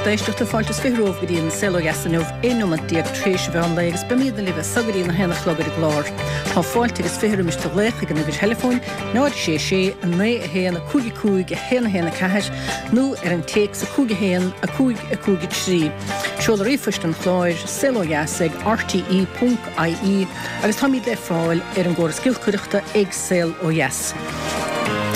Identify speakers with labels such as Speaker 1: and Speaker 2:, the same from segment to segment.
Speaker 1: Lucht éisteachta, fáilte is 20 romhaibh go dtí an Saol Ó Dheas inniu, 11 nóimeat tréis an mheán lae agus beimidne libh as so go dtí an 1 a chlog ar an gclár. Tá fáilte agus 20 roimis do ghlaoch ag an uimhir theileafóin 0 6 6 9 1 5 5 1 1 4 nó ar an téacs 5 1 5 5 3. Seoladh ríomhphoist an chláir, saolodheas ag rte.ie agus táimid le fáil ar an gcóras giolcaireachta ag Saol Ó Dheas.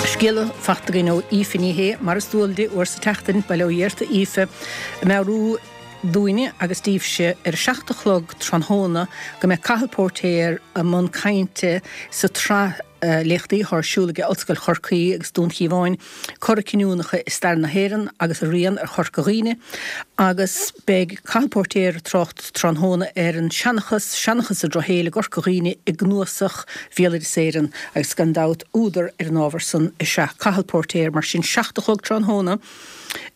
Speaker 1: Scéala fachta againn ó Aoife Ní Shé, mar is dual di, uair sa tseachtain, bail ó Dhia ort a Aoife, ag meabhrú dúinne agus daoibhse ar a 7 a chlog tráthnóna go mbeidh Cathal Póirtéir i mbun cainte sa tsraith léachtaí atá ar siúl aige Ollscoil Chorcaí agus Dún Chíomháin, Cora Cinniúnacha i Stair na hÉireann agus a Rian ar Chorca Dhuibhne agus beidh Cathal Póirtéir ag trácht tráthnóna ar an seanchas, Seanchas an Drochshaoil i gCorca Dhuibhne i gCnuasach Bhéaloideas Éireann agus gan dabht údar ar an ábhar san is ea Cathal Póirtéir mar sin 7 a chlog tráthnóna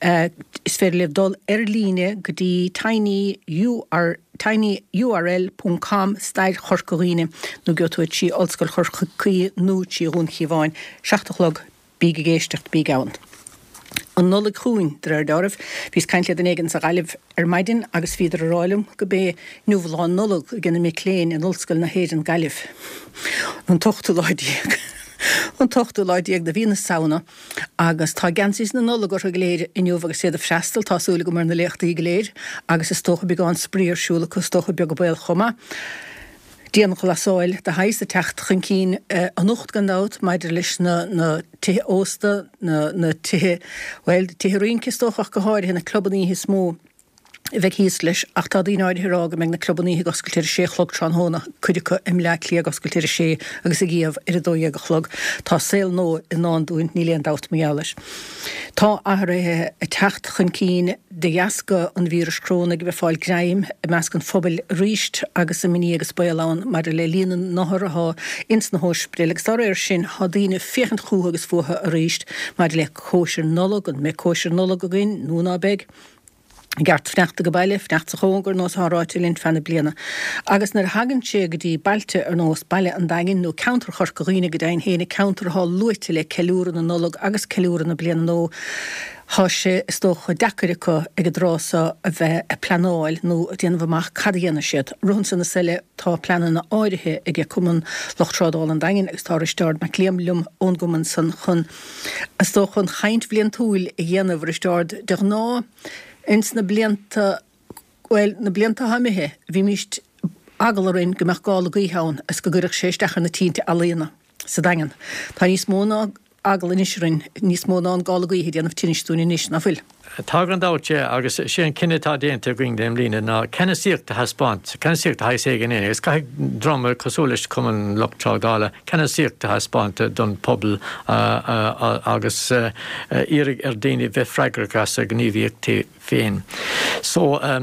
Speaker 1: is féidir libh dul ar líne go dtí tiny ur tinyurl ponc com stair Chorca Dhuibhne nó gheobhaidh tú é trí Ollscoil Chorcaí nó trí Dhún Chíomháin 7 a chlog Bíg ag éisteacht, bíg ann. An Nollaig chugainn, de réir dealraimh. Bhíos ag caint le duine éigin sa Ghaillimh ar maidin agus bhíodar ag rá liom go b'é inniu Lá Nollag ag na mic léinn in Ollscoil na hÉireann, Gaillimh. An t-ochtú lá déag. An t-ochtú lá déag de mhí na Samhna agus tá geansaithe na Nollag orthu go léir inniu agus iad ag freastal, tá súil agam, ar na léachtaí go léir agus is dócha beagán spraoi ar siúl acu, is dócha beag an baol chomh maith. Dianghlasáil de shaghas ag teacht chun cinn anocht gan dabht maidir leis na na tithe ósta, na na tithe, bhuel, tithe rince is dócha ach go háirithe, na clubanna oíche is mó a bheidh thíos leis ach tá daoine áirithe ag rá go mbeidh na clubanna oíche ag oscailt ar a sé a chlog tráthnóna, cuid acu i mBleá Cliath ag oscailt ar a sé agus ag iamh ar a 12 a chlog. Tá saol nua i ndán dúinn, níl aon dabht mar gheall air. Tá athruithe ag teacht chun cinn de dheasca an víris crónaigh a bheith ag fáil greim i measc an phobail arís agus imní agus baol ann maidir le líon na n-othar atá ins na hóispidéil agus dá réir sin tá daoine ag féachaint chúthu agus fúthu arís maidir le cóisir Nollag, an mbeidh cóisir Nollag againn nó ná beidh? I gceart fanacht age baile, fanacht sa chóngar, ar nós atá ráite linn feadh na bliana. Agus nuair a thagann sé go dtí bailte ar nós Baile an Daingin nó ceantar Chorca Dhuibhne go deimhin féin, ceantar atá luaite le ceiliúradh na Nollag agus ceiliúradh na Bliana Nua, tá sé is dócha deacair acu ag an dtráth seo a bheith ag pleanáil nó ag déanamh amach cad a dhéanfaidh siad. Rith ansan is eile tá pleananna áirithe ag Cumann Lucht Trádála an Daingin agus tá Risteárd Mac Liam liom ón gcumann san chun is dócha an chaint bhliantúil a dhéanamh, a Risteárd. De ghnáth, ins na blianta, bhuel, na blianta atá imithe, bhímíst eagla orainn go mbeadh gála gaoithe ann is go gcuirfeadh sé isteach ar na tinte ealaíona sa Daingean. Tá níos mó ná eagla anois orainn, níos mó ná an gála gaoithe ag déanamh tinnis dúinn anois, ná fuil?
Speaker 2: Tá gan dabht, sea, agus sé an cinneadh atá déanta againn i mbliana ná ceannasaíocht a thaispeáint, ceannasaíocht de shaghas éigin agus caithfidh dream cosúil leis Cumann Lucht Trádála ceannasaíocht a thaispeáint don phobal agus iarraidh ar daoine bheith freagrach as a ngníomhaíochtaí féin. So, é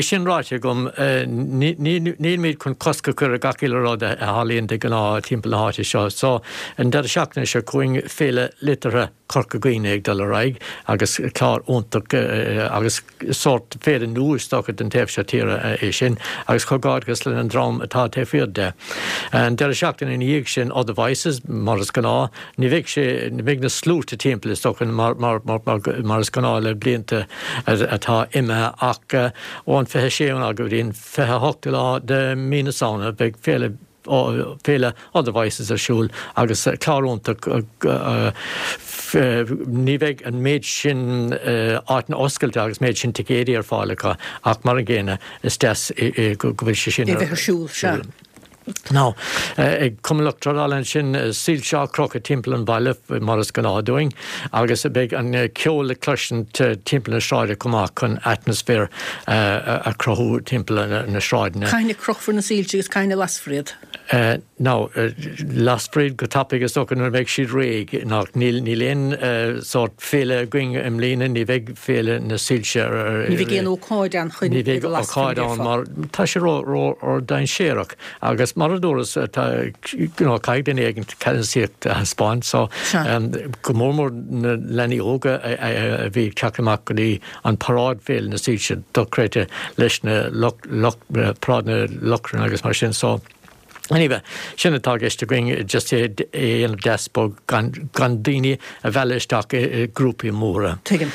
Speaker 2: sin ráite agam, nílimid chun cosc a chur ar gach uile rud a tharlaíonn de ghnáth timpeall na háite seo. So, an deireadh seachtaine seo chugainn, Féile Liteartha Chorca Dhuibhne ag dul ar aghaidh agus clár iontach agus sórt féile nua is dócha don taobh seo tíre é sin agus comhghairdeachas leis an dream atá taobh thiar de. An deireadh seachtaine ina dhiaidh sin Other Voices mar is gnáth. Ní bheidh sé, ní bheidh na sluaite timpeall is dócha mar, mar, mar, mar is gnáth le blianta atá imithe ach ón 26ú lá go dtí an 28ú lá de mí na Samhna beidh féile Féile Other Voices ar siúl agus clár iontach. Ní bheidh an méid sin áiteanna oscailte agus méid sin ticéidí ar fáil acu ach mar an gcéanna is deas go bhfuil sé sin
Speaker 1: ar siúl. Sea.
Speaker 2: Now, ag Cumann Lucht Trádála ansin, soilse á gcrochadh timpeall an bhaile mar is gnáth dúinn agus beidh an ceol le cloisint timpeall na sráide chomh maith chun atmaisféar a chruthú timpeall na sráideanna.
Speaker 1: Cathain a chrochfar na soilse agus cathain a lasfar iad?
Speaker 2: Now, lasfar iad go tapaidh is dócha nuair a bheidh siad réidh. Now, níl níl aon sórt féile againn i mbliana, ní bheidh féile na soilse ar
Speaker 1: Ní bheidh aon ócáid ann chun
Speaker 2: Ní bheidh ócáid ann mar tá sé ró ró ró dainséarach agus mar a dúras tá you know caithfidh duine éigin ceannasaíocht a thaispeáint so go mór mór na leanaí óga a bhí ag teacht amach go dtí an paráid Féile na Soilse dochreidte leis na paráid na lochrán agus mar sin so. Anyway, sin atá i gceist againn, just é a dhéanamh deas bog gan gan daoine a mhealladh isteach i grúpaí móra.
Speaker 1: Tuigim.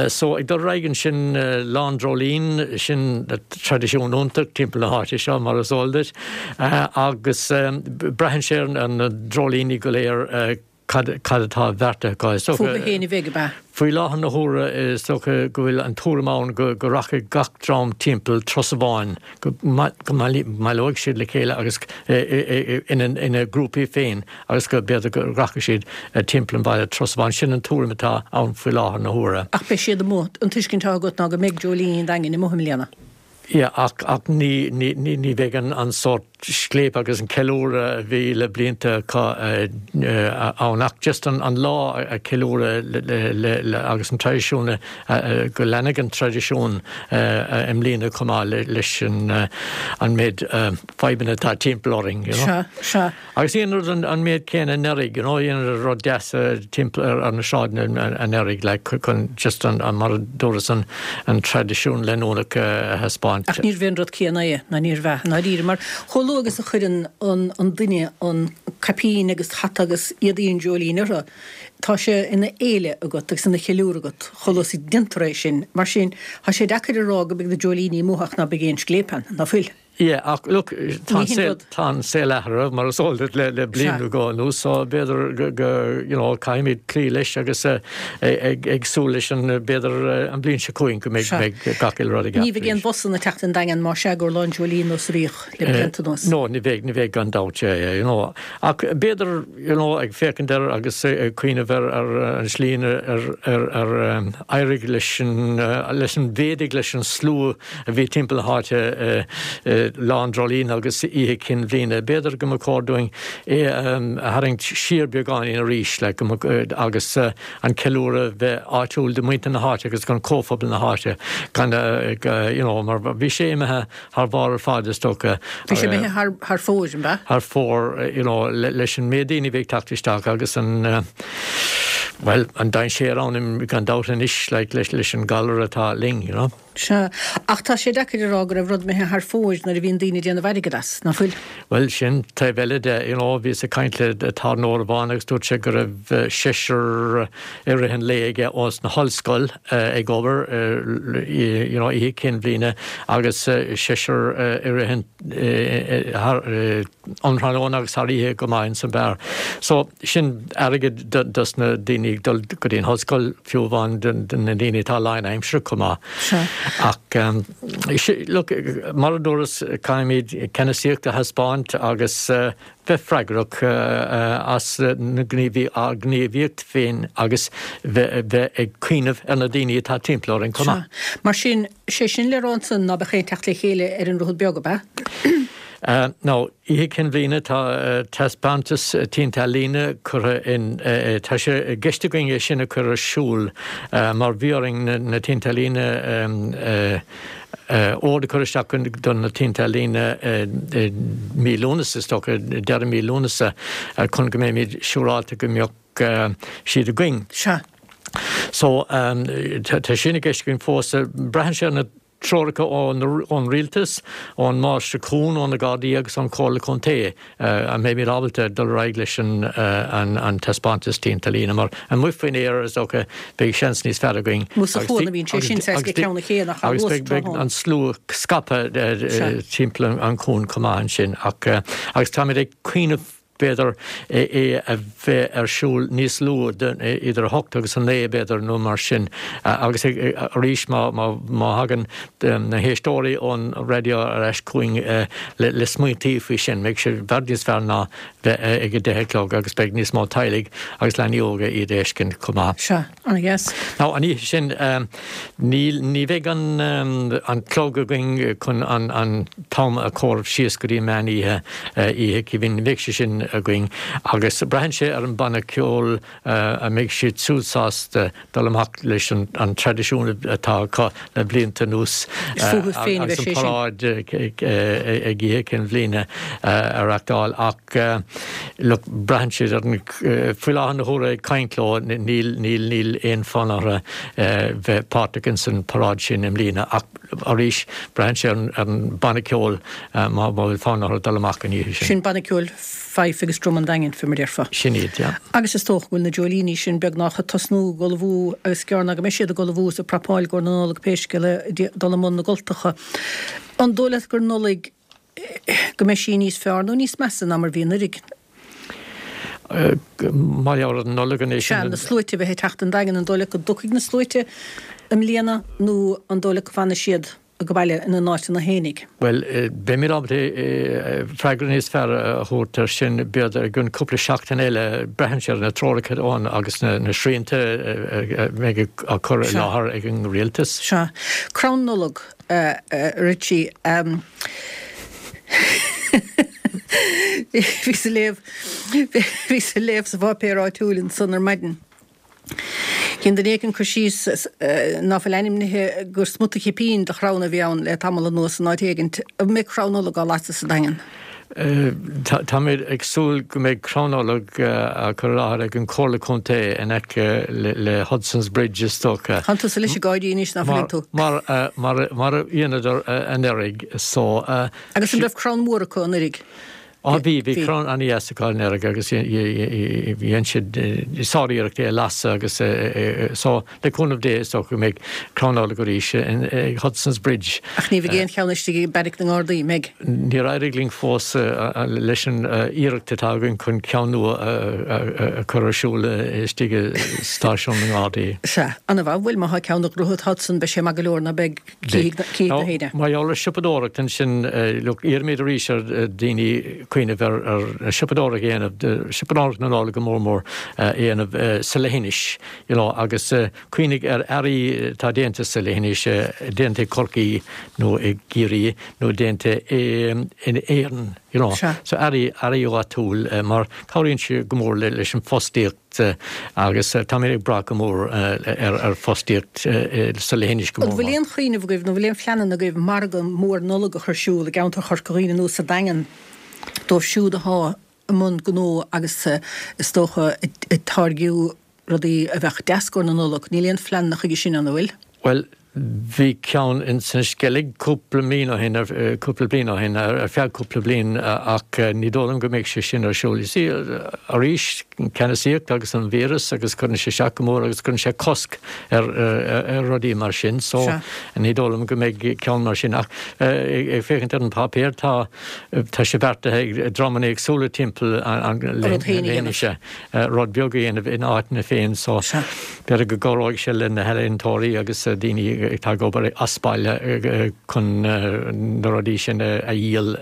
Speaker 2: So, ag dul ar aghaidh ansin, Lá an Dreoilín, sin traidisiún iontach timpeall na háite seo, mar is eol duit, agus braitheann sé ar na dreoilíní go léir, Cad atá beartaithe acu? Is
Speaker 1: dócha. Fúthu féin a bheidh, ab ea?
Speaker 2: Faoi láthair na huaire, is dócha go bhfuil an tuairim ann go rachaidh gach dream timpeall turas amháin, go mbaileoidh siad le chéile agus ina ngrúpaí féin agus go b'fhéidir go rachaidh siad timpeall an bhaile turas amháin. Sin an tuairim atá ann faoi láthair na huaire.
Speaker 1: Ach beidh siad amuigh. An tuiscint atá agat ná go mbeidh dreoilíní an Daingin amuigh i mbliana?
Speaker 2: Yeah, ach, ach ní, ní, ní, ní bheidh an, an sórt scléip agus an ceiliúradh a bhí le blianta acu ann, ach just an, an lá a cheiliúradh le, le, le, agus an traidisiún a, a, go leanfaidh an traidisiún i mbliana chomh maith le, leis an, an méid fadhbanna atá timpeall orainn, you know.
Speaker 1: Sea, sea.
Speaker 2: Agus dhéanadar an méid céanna anuraidh, you know, dhéanadar rud deas timpeall ar na sráideanna anuraidh, like, chun just an, mar a dúras, an traidisiún leanúnach a thaispeáint.
Speaker 1: Ach níorbh é an rud céanna é, ná níorbh ea, i ndáiríre, mar chomh luath agus a chuireann an duine an caipín agus hata agus éadaí an dreoilín orthu, tá sé ina fhéile agat agus ina cheiliúradh agat chomh luath is a déantar é sin. Mar sin, tá sé deacair a rá go mbeidh na dreoilíní amuigh ach ná beidh aon scléip ann, ná fuil?
Speaker 2: Yeah, ach look, tá an saol, tá an saol athraithe, mar is eol duit, le, le bliain nó dhó anuas, so b'fhéidir go, go, you know, caithfimid cloí leis agus ag, ag súil leis an, b'fhéidir an bhliain seo chugainn go mbeidh, beidh gach uile rud i gceart
Speaker 1: Ní bheidh aon bhusanna ag teacht an Daingean más ea gur Lá an Dreoilín nós a bhíodh le blianta anuas.
Speaker 2: No, ní bheidh, ní bheidh gan dabht, yeah, yeah, you know. Ach b'fhéidir, you know, ag féachaint air agus ag cuimhneamh ar, ar an slí ar, ar, ar éirigh leis an, leis an, mhéadaigh leis an slua a bhí timpeall na háite Lá an Dreoilín agus Oíche Chinn Bhliana. B'fhéidir go mba chóir dúinn é a tharraingt siar beagáinín arís like, agus an ceiliúradh bheith áitiúil do mhuintir na háite agus don chomhphobal na háite gan you know, mar bhí sé imithe thar bharr ar fad is dócha.
Speaker 1: Bhí sé imithe thar, thar fóir, an
Speaker 2: b'ea? Thar fóir, you know, leis an méid daoine a bhí ag teacht isteach agus an bhuel, an dainséar ann gan dabht anois like, leis, leis an galar atá linn, you know.
Speaker 1: Sea, ach tá sé deacair a rá go raibh rud imithe thar fóir nuair a bhíonn daoine ag déanamh airgid as, ná fuil?
Speaker 2: Bhuel, sin taobh eile de, you know, bhíos ag caint le tábhairneoir amháin agus dúirt sé go raibh seisear i rith an lae aige ós na hollscoil ag obair, you know, Oíche Chinn Bhliana agus seisear i rith an, thar, an tráthnóna agus thar oíche go maith ins an beár. So, sin airgead dos na daoine ag dul go dtí an hollscoil, fiú amháin do na daoine atá lánaimseartha chomh maith.
Speaker 1: Sea.
Speaker 2: Ach, look, mar a dúras, caithfimid ceannasaíocht a thaispeáint agus bheith freagrach as na ár ngníomhaíocht féin agus bheith ag cuimhneamh ar na daoine atá timpeall orainn chomh maith.
Speaker 1: Sea. Mar sin, sé sin le rá ansan ná beadh aon teacht le chéile ar an Droichead Beag, ab
Speaker 2: ea? Now, Oíche Chinn Bhliana, tá taispeántas tinte ealaíne curtha in, tá sé i gceist againn é sin a chur ar siúl mar bhí orainn na tinte ealaíne, ord a chur isteach do na tinte ealaíne i mí Lúnasa, is dócha, deireadh mí Lúnasa, chun go mbeimid siúráilte go mbeadh siad againn.
Speaker 1: Sea.
Speaker 2: So, tá sin i gceist againn fós. Braitheann sé ar na treoracha ón Rialtas, ón Máistir Cuan, ó na Gardaí agus ón Chomhairle Contae an mbeimid ábalta dul ar aghaidh leis an taispeántas tinte ealaíne mar amuigh faoin aer is dócha beidh seans níos fearr againn
Speaker 1: Amuigh sa chuan a bhíonn sé sin saghas go ceann a chéile nach
Speaker 2: agus beidh an slua scaipthe timpeall an chuain chomh maith ansin ach agus táimid ag cuimhneamh b'fhéidir é a bheith ar siúl níos luath, idir a hocht agus a naoi b'fhéidir nó mar sin. Agus arís má thagann na héisteoirí ón raidió ar ais chugainn le smaointí faoi sin, beidh sé i bhfad níos fearr ná bheith ag a deich a chlog agus beidh níos mó teaghlaigh agus leanaí óga iad a fheiscint chomh maith.
Speaker 1: Sea, ana-dheas.
Speaker 2: Now, an oíche sin, níl, ní bheidh an, an clog againn chun an, an t-am a chomhaireamh síos go dtí meán oíche, Oíche Chinn Bhliana, ní bheidh sé sin againn agus braitheann sé ar an banna ceoil an mbeidh siad siúd sásta dul amach leis an, an traidisiún atá acu le blianta anuas
Speaker 1: Is fúthu féin a
Speaker 2: bheidh sé sin. agus an paráid ag Oíche Chinn Bhliana a reachtáil ach look, braitheann siad ar an, faoi láthair na huaire ag caint leo níl, níl, níl aon fhonn orthu bheith páirteach ins an paráid sin i mbliana ach. Arís, braitheann sé ar an banna ceoil má bhfuil fonn orthu dul amach an oíche sin.
Speaker 1: Sin banna ceoil Fife agus Drum an Daingin, fé mar déarfá.
Speaker 2: Sin iad, yeah.
Speaker 1: Agus is dócha go bhfuil na dreoilíní sin beagnach ag tosnú ag ullmhú agus gearr ná go mbeidh siad ag ullmhú is ag prapáil i gcomhair na Nollag pé scéal é, dul i mbun na gcultacha. An dóigh leat gur Nollaig go mbeidh sí níos fearr nó níos measa ná mar bhí anuraidh?
Speaker 2: Mar gheall ar an Nollaig anois.
Speaker 1: Sea, na sluaite a bheith ag teacht 'on Daingean, an dóigh leat go dtiocfaidh na sluaite i mbliana nó an dóigh leat go bhfanfaidh siad ag baile ina n-áiteanna fhéinig?
Speaker 2: Bhuel, beimid ábalta freagra níos fearr a thabhairt air sin b'fhéidir i gcionn cúpla seachtain eile. Braitheann sé ar na treoracha ann agus na srianta a bheidh á cur i láthair ag an rialtas.
Speaker 1: Sea. Crann Nollag, a Richie. Bhíos ag léamh, bhíos ag léamh sa pháipéar áitiúil ansan ar maidin. Dhein duine éigin cur síos ná fuil ainmnithe gur smut chipín de chrann a bhí ann le tamall anuas in áit éigint. An mbeidh crann Nollag á lasadh sa Daingean?
Speaker 2: Táimid ag súil go mbeidh crann Nollag á chur i láthair ag an Chomhairle Contae in aice le Hudson's Bridge is dócha.
Speaker 1: Tánn tusa leis ag gáirí anois, ná fuileann tú?
Speaker 2: Mar a dheineadar anuraidh so.
Speaker 1: Agus an raibh crann mór acu anuraidh?
Speaker 2: Á bhí, bhí crann an-dheas acu anuraidh agus dhein siad sár-iarracht é a lasadh agus so le cúnamh Dé is dócha go mbeidh crann Nollag arís ag Hudson's Bridge.
Speaker 1: Ach ní bheidh aon cheann istigh i mBeairic na nGardaí, an mbeidh?
Speaker 2: Níor éirigh linn fós leis an iarracht atá againn chun ceann nua a chur ar siúl istigh i Stáisiún na nGardaí.
Speaker 1: Sea, an-mhaith. Bhuel má thá ceann ag Droichead Hudson beidh sé maith go leor ná beidh? Cífidh na
Speaker 2: héinne. Mar gheall ar siopadóireacht ansin, look, iarraimid arís ar daoine cuimhneamh ar siopadóireacht a dhéanamh, siopadóireacht na Nollag go mór mór a dhéanamh sa leithinis, you know, agus cuimhnigh ar earraí atá déanta sa leithinis, déanta i gCorcaigh nó i gCiarraí nó déanta in Éirinn, you know. So earraí, earraí áitiúil mar cabhraíonn sé go mór leis an fostaíocht. agus táimid ag brath go mór ar fostaíocht sa leithinis go
Speaker 1: mór. An bhfuil aon chuimhneamh agaibh nó bhfuil aon phleananna agaibh margadh mór Nollag a chur ar siúl i gceantar Chorca Dhuibhne nó sa Daingean dóibh siúd athá i mbun gnó agus is dócha ag táirgiú rudaí a bheadh deas i gcomhair na Nollag? Níl aon phleananna chuige sin ann, an bhfuil?
Speaker 2: Bhuel, bhí ceann in san Sceilg cúpla bliain ó shin, cúpla bliain ó shin, ar feadh cúpla bliain ach ní dóigh liom go mbeidh sé sin ar siúl. You see, arís, ceannasaíocht agus an víreas agus cuireann sé isteach go mór agus cuireann sé cosc ar rudaí mar sin so ní dóigh liom go mbeidh ceann mar sin ach ag féachaint ar an páipéar tá tá sé beartaithe ag dreamanna éagsúla timpeall an leithinise. rud beag a dhéanamh ina áiteanna féin so b'fhéidir go gcabhróidh sé le na healaíontóirí agus daoine atá ag obair as baile chun na rudaí sin a dhíol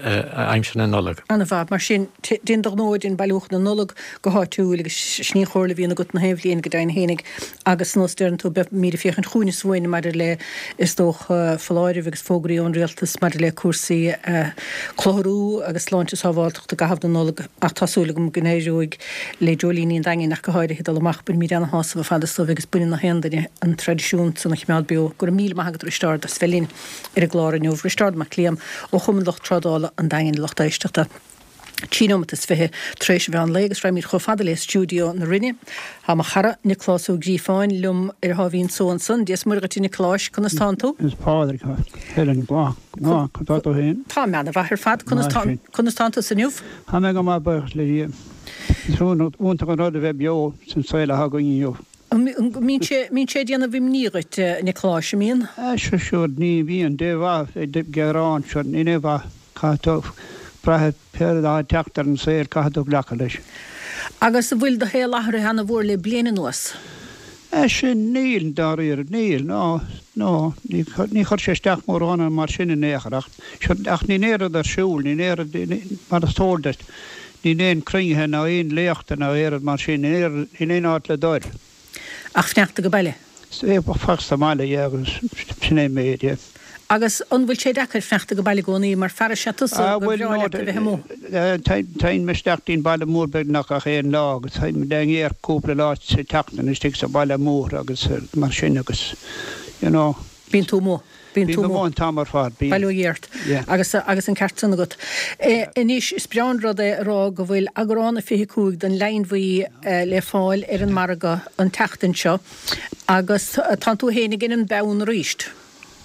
Speaker 2: aimsir na Nollag.
Speaker 1: An-mhaith. Mar sin, déan do ghnó, déan bailiúchán na Nollag go háitiúil agus sin í an chomhairle a bhíonn agat na haon bhliain go deimhin fhéinig agus nós deireann tú, beimid ag féachaint chugainn is uainn maidir le, is dócha, foláirimh agus fógraí ón rialtas maidir le cúrsaí clutharú agus sláinte sábháilteachta i gcaitheamh na Nollag ach tá súil agam go n-éireoidh le Dreoilíní an Daingin ach go háirithe dul amach. Bainimid ana-shásamh ar fad as dóibh agus baineann na haon duine an traidisiún san a choimeád beo. Go raibh míle maith agat a Risteárd as bheith linn ar an gclár inniu. Risteárd Mac Liam ó Chumann Lucht Trádála an Daingin, lucht éisteachta. 13 nóimeat tar éis an mheán lae agus raghaimid chomh fada le stiúideo na Rinne. Tá mo chara, Nioclás Ó Gríofáin, liom ar a tháimhín só ansan. Dia is Muire dhuit a Niocláis, conas tánn tú?
Speaker 3: Is Pádraig, Helen, go maith, conas tá tú féin?
Speaker 1: Tá mé ana-mhaith ar fad, conas tá, conas tánn tusa inniu?
Speaker 3: Tá mé go maith, buíochas le Dia. Is iontach an rud a bheith beo san saol atá againn inniu.
Speaker 1: An mbíonn sé, mbíonn sé ag déanamh imní dhuit, a Niocláis, an mbíonn?
Speaker 3: Sea, sure, ní bhíonn, dé mhaith ag gearán, sure, níl aon mhaith, caithfidh tú brath pé rud atá ag teacht ar an saol, caithfidh tú glacadh leis.
Speaker 1: Agus an bhfuil do shaol athraithe ana-mhór le bliain anuas?
Speaker 3: Sea, níl, dáiríre, níl, no, no, ní, ní chuir sé isteach mórán orm mar sin in aon chor, ach, sure, ach níl aon rud ar siúl, níl aon rud, mar is eol duit, níl aon cruinnithe ná aon léachta ná aon rud mar sin, níl aon, níl aon áit le dul.
Speaker 1: Ach fanacht ag baile?
Speaker 3: Fanacht sa mbaile, yeah, agus sin é an méid, yeah.
Speaker 1: Agus an bhfuil sé deacair fanacht ag baile i gcónaí, mar fear is ea tusa
Speaker 3: gur
Speaker 1: bhreá leat a bheith amuigh?
Speaker 3: Téim isteach dtí'n baile mór beagnach gach aon lá agus téim le ngéar cúpla lá sa tseachtain istigh sa bhaile mór agus mar sin agus you know.
Speaker 1: Bíonn tú amuigh.
Speaker 3: Bíonn tú amuigh an t-am ar fad,
Speaker 1: bíonn. Bail ó Dhia ort. Agus, agus an ceart san agat. Anois, is breá an rud é a rá go bhfuil eagrán a 25 den Leidhin Bhuí le fáil ar an margadh an tseachtain seo agus tánn tú fhéin ag an mbonn arís.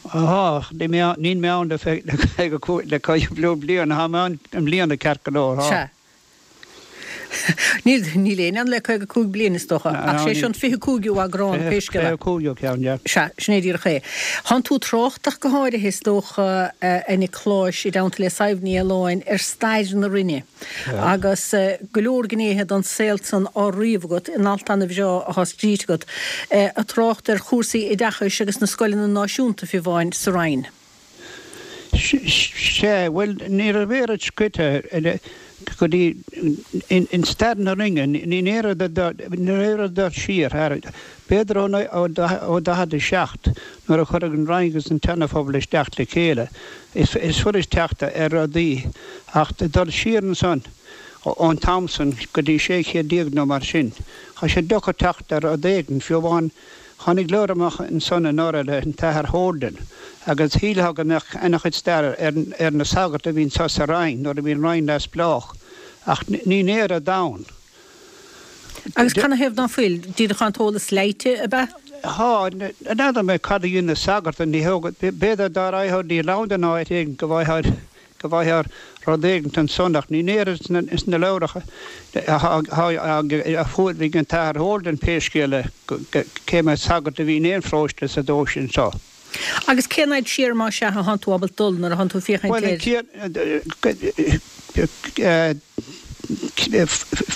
Speaker 3: Tá, níl mé ann le 55 bliain, tá mé ann i mbliana ceart go leor, tá.
Speaker 1: Sea. Níl, níl éinne ann le 55 bliain is dócha, ach sé seo an 25ú eagrán, pé scéal é.
Speaker 3: 25ú ceann, yeah.
Speaker 1: Sea, sin é díreach é. Thánn tú trácht ach go háirithe is dócha, a Niocláis, i dteannta le Sadhbh Ní Fhaoláin, ar stair na Rinne agus go leor gnéithe den saol san á ríomh agat in alt ana-bhreá atá scríte agat, ag trácht ar chúrsaí oideachais agus na scoileanna náisiúnta fiú amháin sa Rinn.
Speaker 3: Sea, bhuel, ní raibh oiread scrite go dtí in stair na Rinne, ní oiread ag dul siar thar, b'fhéidir ó 47 nuair a cuireadh an Rinn agus an tSeana-Phobal isteach le chéile, is fuirist teacht ar rudaí, ach dul siar ansan ón t-am san go dtí 1600 nó mar sin, tá sé deacair teacht ar rud éigin, fiú amháin Tháinig leabhar amach ansan anuraidh le an tAthair Holden agus shílfeá go mbeadh ana-chuid staire ar na sagairt a bhí anso sa Rinn nuair a bhí an Rinn neamhspleách ach níl oiread ann.
Speaker 1: Agus canathaobh ná fuil? Díreach tá an t-eolas leáite, ab ea?
Speaker 3: Tá, n'fheadar mé cad a dhein na sagairt, ní b'fhéidir dá raghfá dtí Londain nó áit éigin go bhfaighfeá go bhfaighfeá rud éigint ansan ach níl oiread sna leabhracha a fuair ag an tAthair Holden pé scéal é cé mhéad sagart a bhí in aon pharóiste sa dóigh sin seo.
Speaker 1: Agus cén fhaid siar más ea a thánn tú ábalta dul nuair a thánn tú ag féachaint
Speaker 3: ar. Bhuel,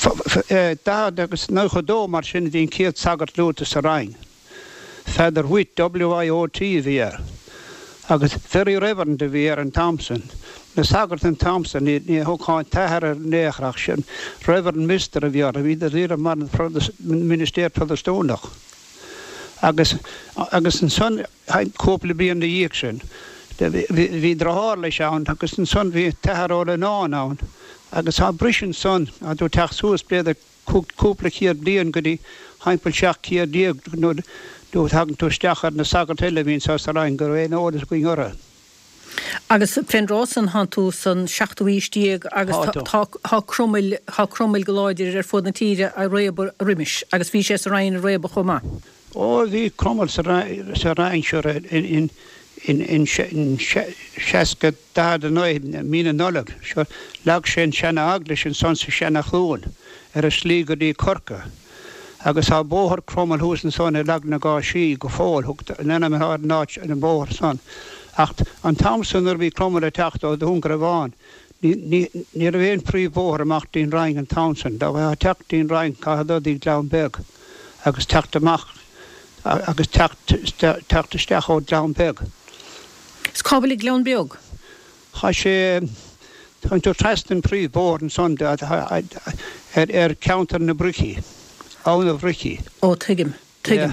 Speaker 3: 40 agus 92 mar sin a bhí an chéad sagart luaite sa Rinn. Father Witt, W-I-O-T, a bhí air. Agus Very Reverend a bhí air an t-am san. Na sagairt an t-am san, ní thugtá an t-athair air in aon chor ach sin Reverend Mister a bhí orthu. Bhíodar díreach mar an ministéir Protastúnach. Agus, agus ansan, cúpla bliain ina dhiaidh sin, bhí driotháir leis ann agus ansan bhí an tAthair Ó Leannáin ann. Agus tá briseadh ansan, tá tú ag teacht suas b'fhéidir, cúpla céad bliain go dtí thimpeall 17 céad nuair a thagann tú isteach ar na sagairt eile a bhí anso sa Rinn go raibh aon eolas againn orthu.
Speaker 1: Agus fén dtráth san thánn tú san seachtú haois déag agus tá Cromail, tá Cromail go láidir ar fuaid na tíre a réabadh roimis agus bhí sé sa Rinn a réabadh chomh maith.
Speaker 3: Ó bhí Cromail sa Rinn sure in in 60, 49, mí na Nollag seo, leag sé an seana-eaglais ansan sa Seana-Chluain ar a shlí go dtí Corcaigh. Agus tá bóthar Cromail thuas ansan i Lag na gCáisí go fóill, thug an ainm atá ar an áit ar an bhóthar san. Ach an t-am san nuair a bhí Cromail ag teacht ó Dhún Garbhán, ní ní raibh aon phríomh-bhóthar amach dtí'n Rinn an t-am san. Dá mbeifeá ag teacht dtí'n Rinn caithfeá dul dtí Gleann Beag agus teacht amach agus teacht teacht isteach ó Ghleann Beag.
Speaker 1: Is cá bhfuil an Gleann Beag?
Speaker 3: Tá sé, tá tú trasna an príomh bóthar ansan ar ceantar na Bricí, Abha na Bricí.
Speaker 1: Ó tuigim, tuigim.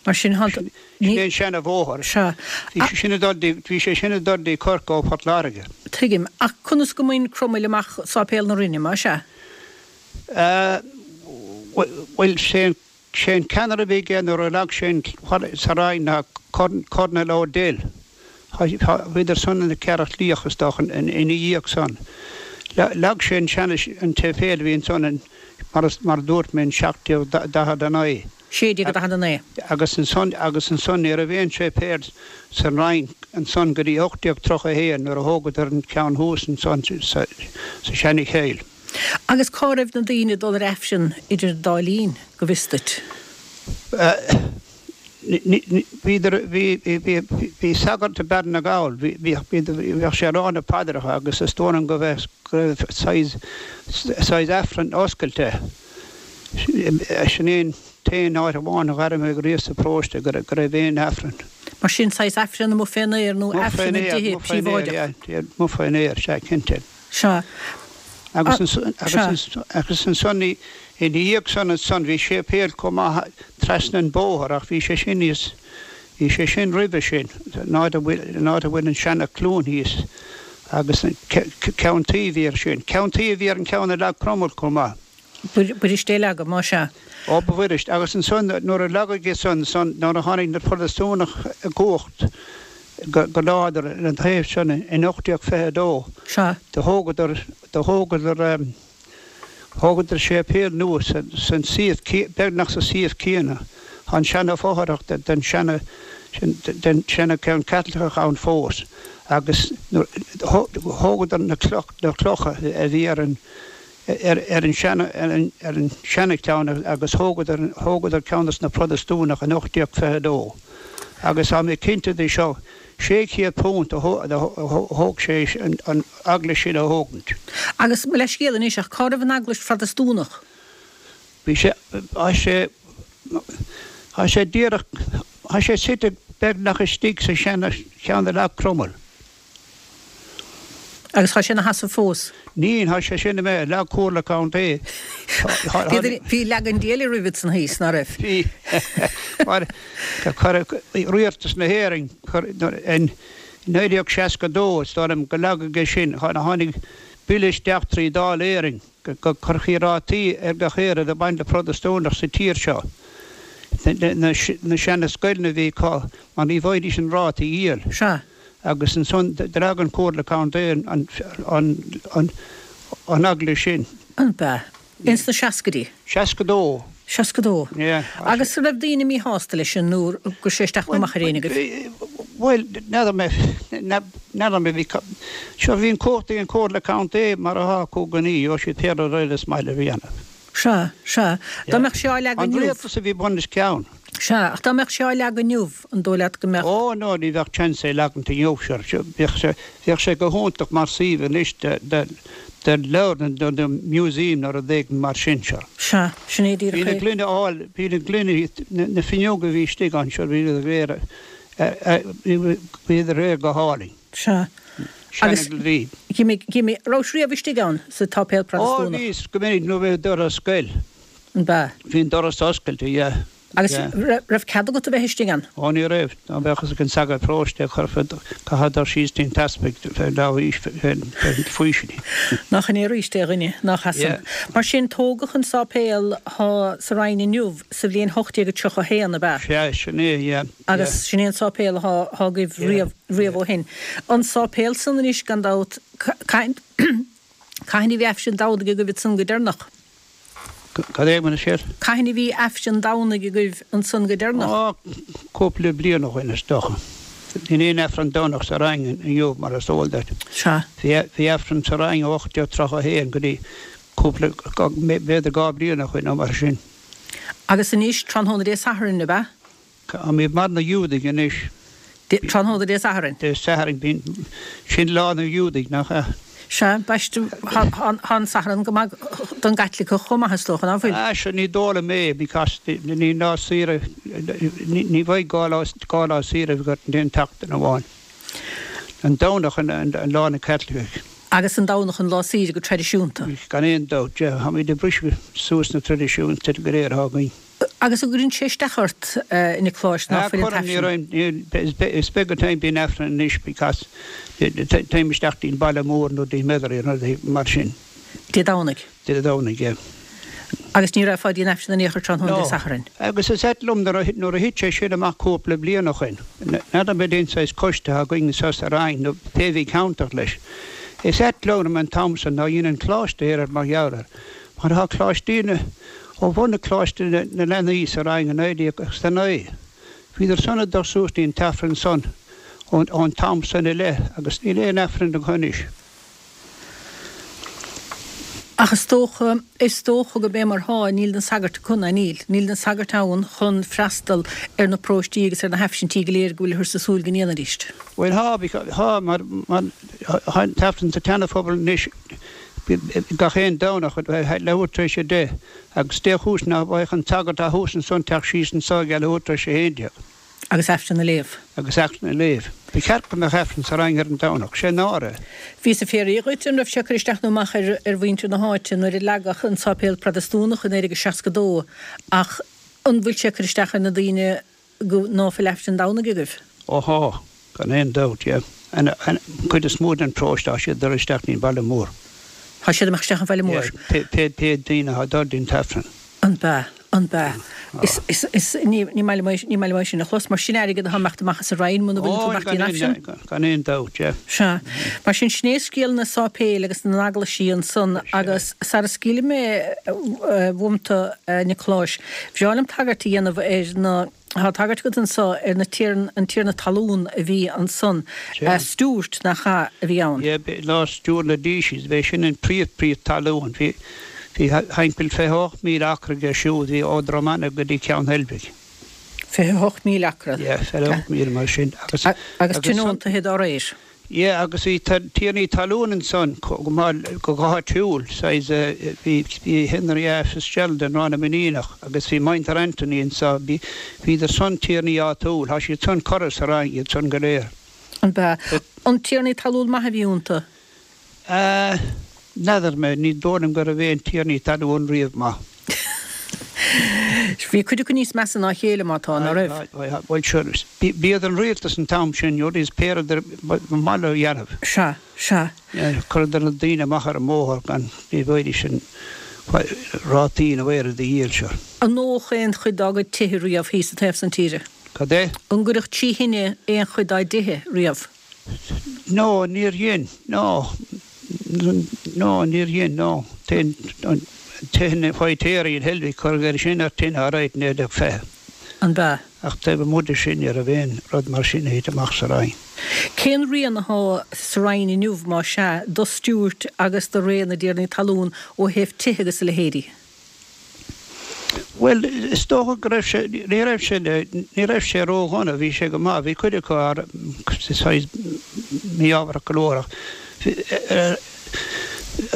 Speaker 1: Mar sin tá
Speaker 3: tú, ní. Sin é an seana bhóthar.
Speaker 1: Sea.
Speaker 3: Bhí sé sin ag dul dtí, bhí sé sin ag dul dtí Corcaigh ó Phort Láirge.
Speaker 1: Tuigim. Ach conas go mb'in Cromail amach Sáipéal na Rinne, más ea?
Speaker 3: Bhuel, sé an Sé an ceannaire a bhí aige nuair a leag sé an sa Rinn ná Colonel O'Dell. Bhíodar san ina Ceathrach Liach is dócha ina dhiaidh san. Leag sé an seana an tséipéal a bhí ansan in mar mar a dúirt mé in 1749.
Speaker 1: 1649.
Speaker 3: Agus ansan agus ansan ní raibh aon séipéal san Rinn ansan go dtí 1831 nuair a thógadar an ceann thuas ansan sa sa seana chill.
Speaker 1: Agus cá raibh na daoine ag dul ar Aifreann idir an dá linn, go bhfios duit?
Speaker 3: Bhíodar, bhí, bhí, bhí sagart i Bearna Gall, bhí, bhíodh sé ag rá na paidreacha agus is dóigh liom go raibh, go raibh saghas, saghas Aifreann oscailte. Sin é an t-aon áit amháin a dh'airigh mé riamh sa bparóiste go raibh, go raibh aon Aifreann.
Speaker 1: Mar sin, saghas Aifreann amuigh fén aer nó Aifreann i dtithe príobháideach?
Speaker 3: Amuigh fén aer, sea, cinnte.
Speaker 1: Sea.
Speaker 3: Agus agus ansan ina dhiaidh san ansan bhí séipéal chomh maith trasna an bóthar ach bhí sé sin níos, bhí sé sin roimhe sin, an áit a bhfuil, an áit a bhfuil an seana cluain thíos agus ceann tuí a bhí air sin. Ceann tuí a bhí ar an ceann a leag Cromail chomh maith.
Speaker 1: B'fhuirist é a leagadh, más ea.
Speaker 3: Ó ba bhfuirist. Agus ansan nuair a leagadh é san, ansan nuair a tháinig na Protastúnach i gcumhacht go láidir ar an taobh san in 1822,
Speaker 1: Sea.
Speaker 3: do thógadar, do thógadar, thógadar séipéal nua san suíomh, beagnach sa suíomh céanna. Tá an seana fothrach den seana. Den seana ceann Caitliceach ann fós agus thógadar na clocha a bhí ar an ar an seana ar an seana cheann agus thógadar thógadar ceann dos na Protastúnach in 1822 agus tá mé cinnte de seo £600 a thóg sé an eaglais sin a thógaint.
Speaker 1: Agus mo leithscéal anois ach cá raibh an eaglais Phrotastúnach?
Speaker 3: Bhí sé, tá sé, tá sé díreach, tá sé suite beagnach istigh sa seana cheann a leag Cromail.
Speaker 1: Agus tá sé ina sheasamh fós?
Speaker 3: Níl, tá sé sin imithe, leag Comhairle Contae.
Speaker 1: Bhí leagan Dé eile roimhe san thíos, ná raibh?
Speaker 3: Bhí, mar cuireadh Rialtas na hÉireann, in 1962, is dóigh liom, go leagadh é sin, tháinig bille isteach trí Dáil Éireann. go gcuirfí rátaí ar gach aon rud a bhain le Protastúnach sa tír seo. Na seana-scoileanna a bhí acu, mar ní bhfaighidís an ráta a dhíol.
Speaker 1: Sea.
Speaker 3: Agus ansan d'fhág an Chomhairle Contae an eaglais sin.
Speaker 1: An b'ea? Ins na seascaidí?
Speaker 3: 62.
Speaker 1: 62.
Speaker 3: Yeah.
Speaker 1: Agus an raibh daoine míshásta leis sin nó an raibh sé isteach nó amach ar éinne agaibh?
Speaker 3: Bhuel, n'fheadar mé, n'fheadar mé, bhí, sure bhí an cumhacht ag an Chomhairle Contae mar atá acu i gcónaí, gheobhadh siad pé rud eile is maith leo a dhéanamh.
Speaker 1: Sea, sea. Dá mbeadh sé á leagan
Speaker 3: An
Speaker 1: inniu.
Speaker 3: rialtas a bhí bun os cionn.
Speaker 1: Sea, ach dá mbeadh sé á leagan inniu, an dóigh leat go mbeadh.
Speaker 3: Ó, no, ní bheadh chance é leagaint inniu, sure, bheadh sé, bheadh sé go hiontach mar suíomh anois de, de, de leabharlann nó de museum nó rud éigin mar sin, sure.
Speaker 1: Sea, sin é díreach
Speaker 3: é. Bhí na gloine áil, bhí na gloine, na fuinneoga a bhí istigh ann, sure, bhí siad go léir, bhíodar go léir go hálainn.
Speaker 1: Sea. Agus, gimme, gimme, raibh riamh istigh ann sa tsáipéal
Speaker 3: Protastúnach? Ó, bhíos, go minic nuair a bhí doras ar scoil.
Speaker 1: An b'ea?
Speaker 3: Bhí an doras oscailte, yeah.
Speaker 1: Agus raibh cead agat a bheith istigh ann?
Speaker 3: Ó, ní raibh. Dá mbeadh fhios ag an sagart paróiste, chaithfeá dul síos dtí'n t-easpag fén leabhar fén faoistin.
Speaker 1: Nach in é arís é, a dhuine, nach ea san. Mar sin, tógadh an sáipéal thá sa Rinn inniu sa bhliain 1831, ab
Speaker 3: ea? Sea, sin é, yeah.
Speaker 1: Agus sin é an sáipéal athá agaibh riamh, riamh ó shin. An sáipéal san anois, gan dabht, cathain a bhí Aifreann Domhnaigh agaibh ansan go deireanach?
Speaker 3: Cad é mar a siad?
Speaker 1: Cathain a bhí Aifreann Domhnaigh agaibh ansan go deireanach?
Speaker 3: Á, cúpla bliain ó shoin, is dócha. Níl aon Aifreann Domhnach sa Rinn inniu, mar is eol duit.
Speaker 1: Sea.
Speaker 3: Bhí Aifreann sa Rinn ó 1831 go dtí cúpla, b'fhéidir 2 bliain ó shoin nó mar sin.
Speaker 1: Agus anois, tráthnóna Dé Sathairn, ab ea?
Speaker 3: Táimid mar na Giúdaigh anois.
Speaker 1: Tráthnóna Dé Sathairn.
Speaker 3: Dé Sathairn, bíonn, sin lá na Giúdaigh, nach ea?
Speaker 1: Sea, baiste, tá an Satharn go maith don gCaitliceach chomh maith, is dócha, ná fuil?
Speaker 3: Ah, sea, ní dóigh liom é, because ní lá saoire, ní bheidh 2 lá, 2 lá saoire agat in aon tseachtain amháin. An Domhnach an lá na Caitlicigh.
Speaker 1: Agus an Domhnach an lá saoire go traidisiúnta.
Speaker 3: Gan aon dabht, yeah, táimid ag briseadh suas na traidisiúnta go léir atá againn.
Speaker 1: Agus an gcuireann sé isteach ort, a Niocláis, ná fuil an
Speaker 3: t-aifreann? Cuireann, is beag an t-am bíonn aifreann anois because téim isteach dtí'n baile mór nó dtí Metairie nó rudaí mar sin.
Speaker 1: Dé Domhnaigh?
Speaker 3: Dé Domhnaigh, yeah.
Speaker 1: Agus ní raghfá dtí an aifreann in aon chor tráthnóna Dé Sathairn?
Speaker 3: No. Agus is ait liom nuair a thit sé sin amach cúpla bliain ó shoin, n'fheadar an aon saghas coiste atá againn anso sa Rinn nó pé bhí ceanntach leis, is ait liom an t-am san nár dhein an Coláiste aon rud mar gheall air, mar tá Coláistí na. Ó bhunaigh Coláiste na Leanaí sa Rinn i 1909, bhíodar san ag dul suas dtí'n t-Aifreann san ón t-am san i leith agus níl aon Aifreann acu anois.
Speaker 1: Ach is dócha, is dócha gurb é mar thá, níl na sagairt acu, ná níl. Níl na sagairt ann chun freastal ar na paróistí agus ar na haifrintí go léir go bhfuilthear sa súil go ndéanfaidís.
Speaker 3: Bhuel, thá, thá, mar, mar, thá an t-Aifreann sa tSeana-Phobal anois gach aon Domhnach ag leathuair tar éis a 10, agus dé chúis ná beadh an sagart atá thuas ansan teacht síos anso ag leathuair tar éis a 11.
Speaker 1: Agus Aifreann a léamh.
Speaker 3: Agus Aifreann a léamh. Ba cheart go mbeadh Aifreann sa Rinn ar an Domhnach. Sé náire.
Speaker 1: Bhíos ag fiafraí dhuit an raibh sé ag cur isteach nó amach ar ar mhuintir na háite nuair a leagadh an sáipéal Protastúnach i 1962 ach an bhfuil sé ag cur isteach ar na daoine go ná fuil Aifreann Domhnaigh agaibh?
Speaker 3: Ó thá, gan aon dabht, yeah. An chuid is mó den paróiste, tá siad ag dul isteach dtí'n baile mór.
Speaker 1: Tá siad ag imeacht isteach an bhaile mór.
Speaker 3: Yeah, pé, pé daoine atá ag dul dtí'n t-Aifreann.
Speaker 1: An b'ea, an b'ea. Is, is, is, ní, ní maith liom é, ní maith liom é sin a chlos, mar sin airgead atá ag imeacht amach as an Rinn muna bhfuil tú ag imeacht dtí'n
Speaker 3: Aifreann. Gan aon dabht, yeah.
Speaker 1: Sea. Mar sin, sin é scéal na sáipéil agus na n-eaglaisí ansan agus sara scaoilfidh mé uaim tú, a Niocláis, bhreá liom tagairt a dhéanamh ar na. Tá tagairt agat anso ar na tiarn, an tiarna talún a bhí ansan. Stewart, nach ea, a bhí ann?
Speaker 3: Yeah, ná Stewart na Decies, b'é sin an príomh príomh talún. Bhí, bhí thimpeall 28,000 acra aige siúd, bhí ó Dromanagh go dtí Ceann Heilbhic.
Speaker 1: 28,000 acra?
Speaker 3: Yeah, 28,000 mar sin.
Speaker 1: Agus, agus tionóntaithe dá réir?
Speaker 3: Yeah, agus bhí tiarnaí talún ansan go maith, go háitiúil, saghas, bhí, bhí Henry A. Fitzgerald in Ráth na Mainíneach agus bhí muintir Anthony anso, bhí, bhíodar san tiarnaí áitiúil, tá siad san curtha sa Rinn, iad san go léir.
Speaker 1: An b'ea? An tiarnaí talún maith a bhí iontu?
Speaker 3: Ah, n'fheadar mé, ní dóigh liom go raibh aon tiarnaí talún riamh maith.
Speaker 1: Bhí cuid acu níos measa ná a chéile, má tá, ná raibh?
Speaker 3: Bhuel, sure, b'iad an rialtas an t-am sin, you know, is pé rud ba mhaith leo a dhéanamh.
Speaker 1: Sea, sea.
Speaker 3: Chuireadar na daoine amach ar an mbóthar gan, ní bhfaighidís an rátaí nó aon rud a dhíol, sure.
Speaker 1: An ndódh aon chuid dá gcuid tithe riamh thíos sa taobh san tíre?
Speaker 3: Cad é?
Speaker 1: An gcuireadh trí thine aon chuid dá dtithe riamh?
Speaker 3: No, níor dhein, no. No, níor dhein, no. An tine Feiritéaraí in Heilbhic, cuireadh air sin ar tine alright in 1920.
Speaker 1: An b'ea?
Speaker 3: Ach taobh amuigh de sin ní raibh aon rud mar sin a thit amach sa Rinn.
Speaker 1: Cén rian athá sa Rinn inniu, má sea, do Stuart agus do ré na dtiarnaí talún ó thaobh tithe agus a leithéidí?
Speaker 3: Bhuel, is dócha go raibh sé, ní raibh sé, ní raibh sé ródhona, bhí sé go maith, bhí cuid acu saghas mí-ámharach go leor ach,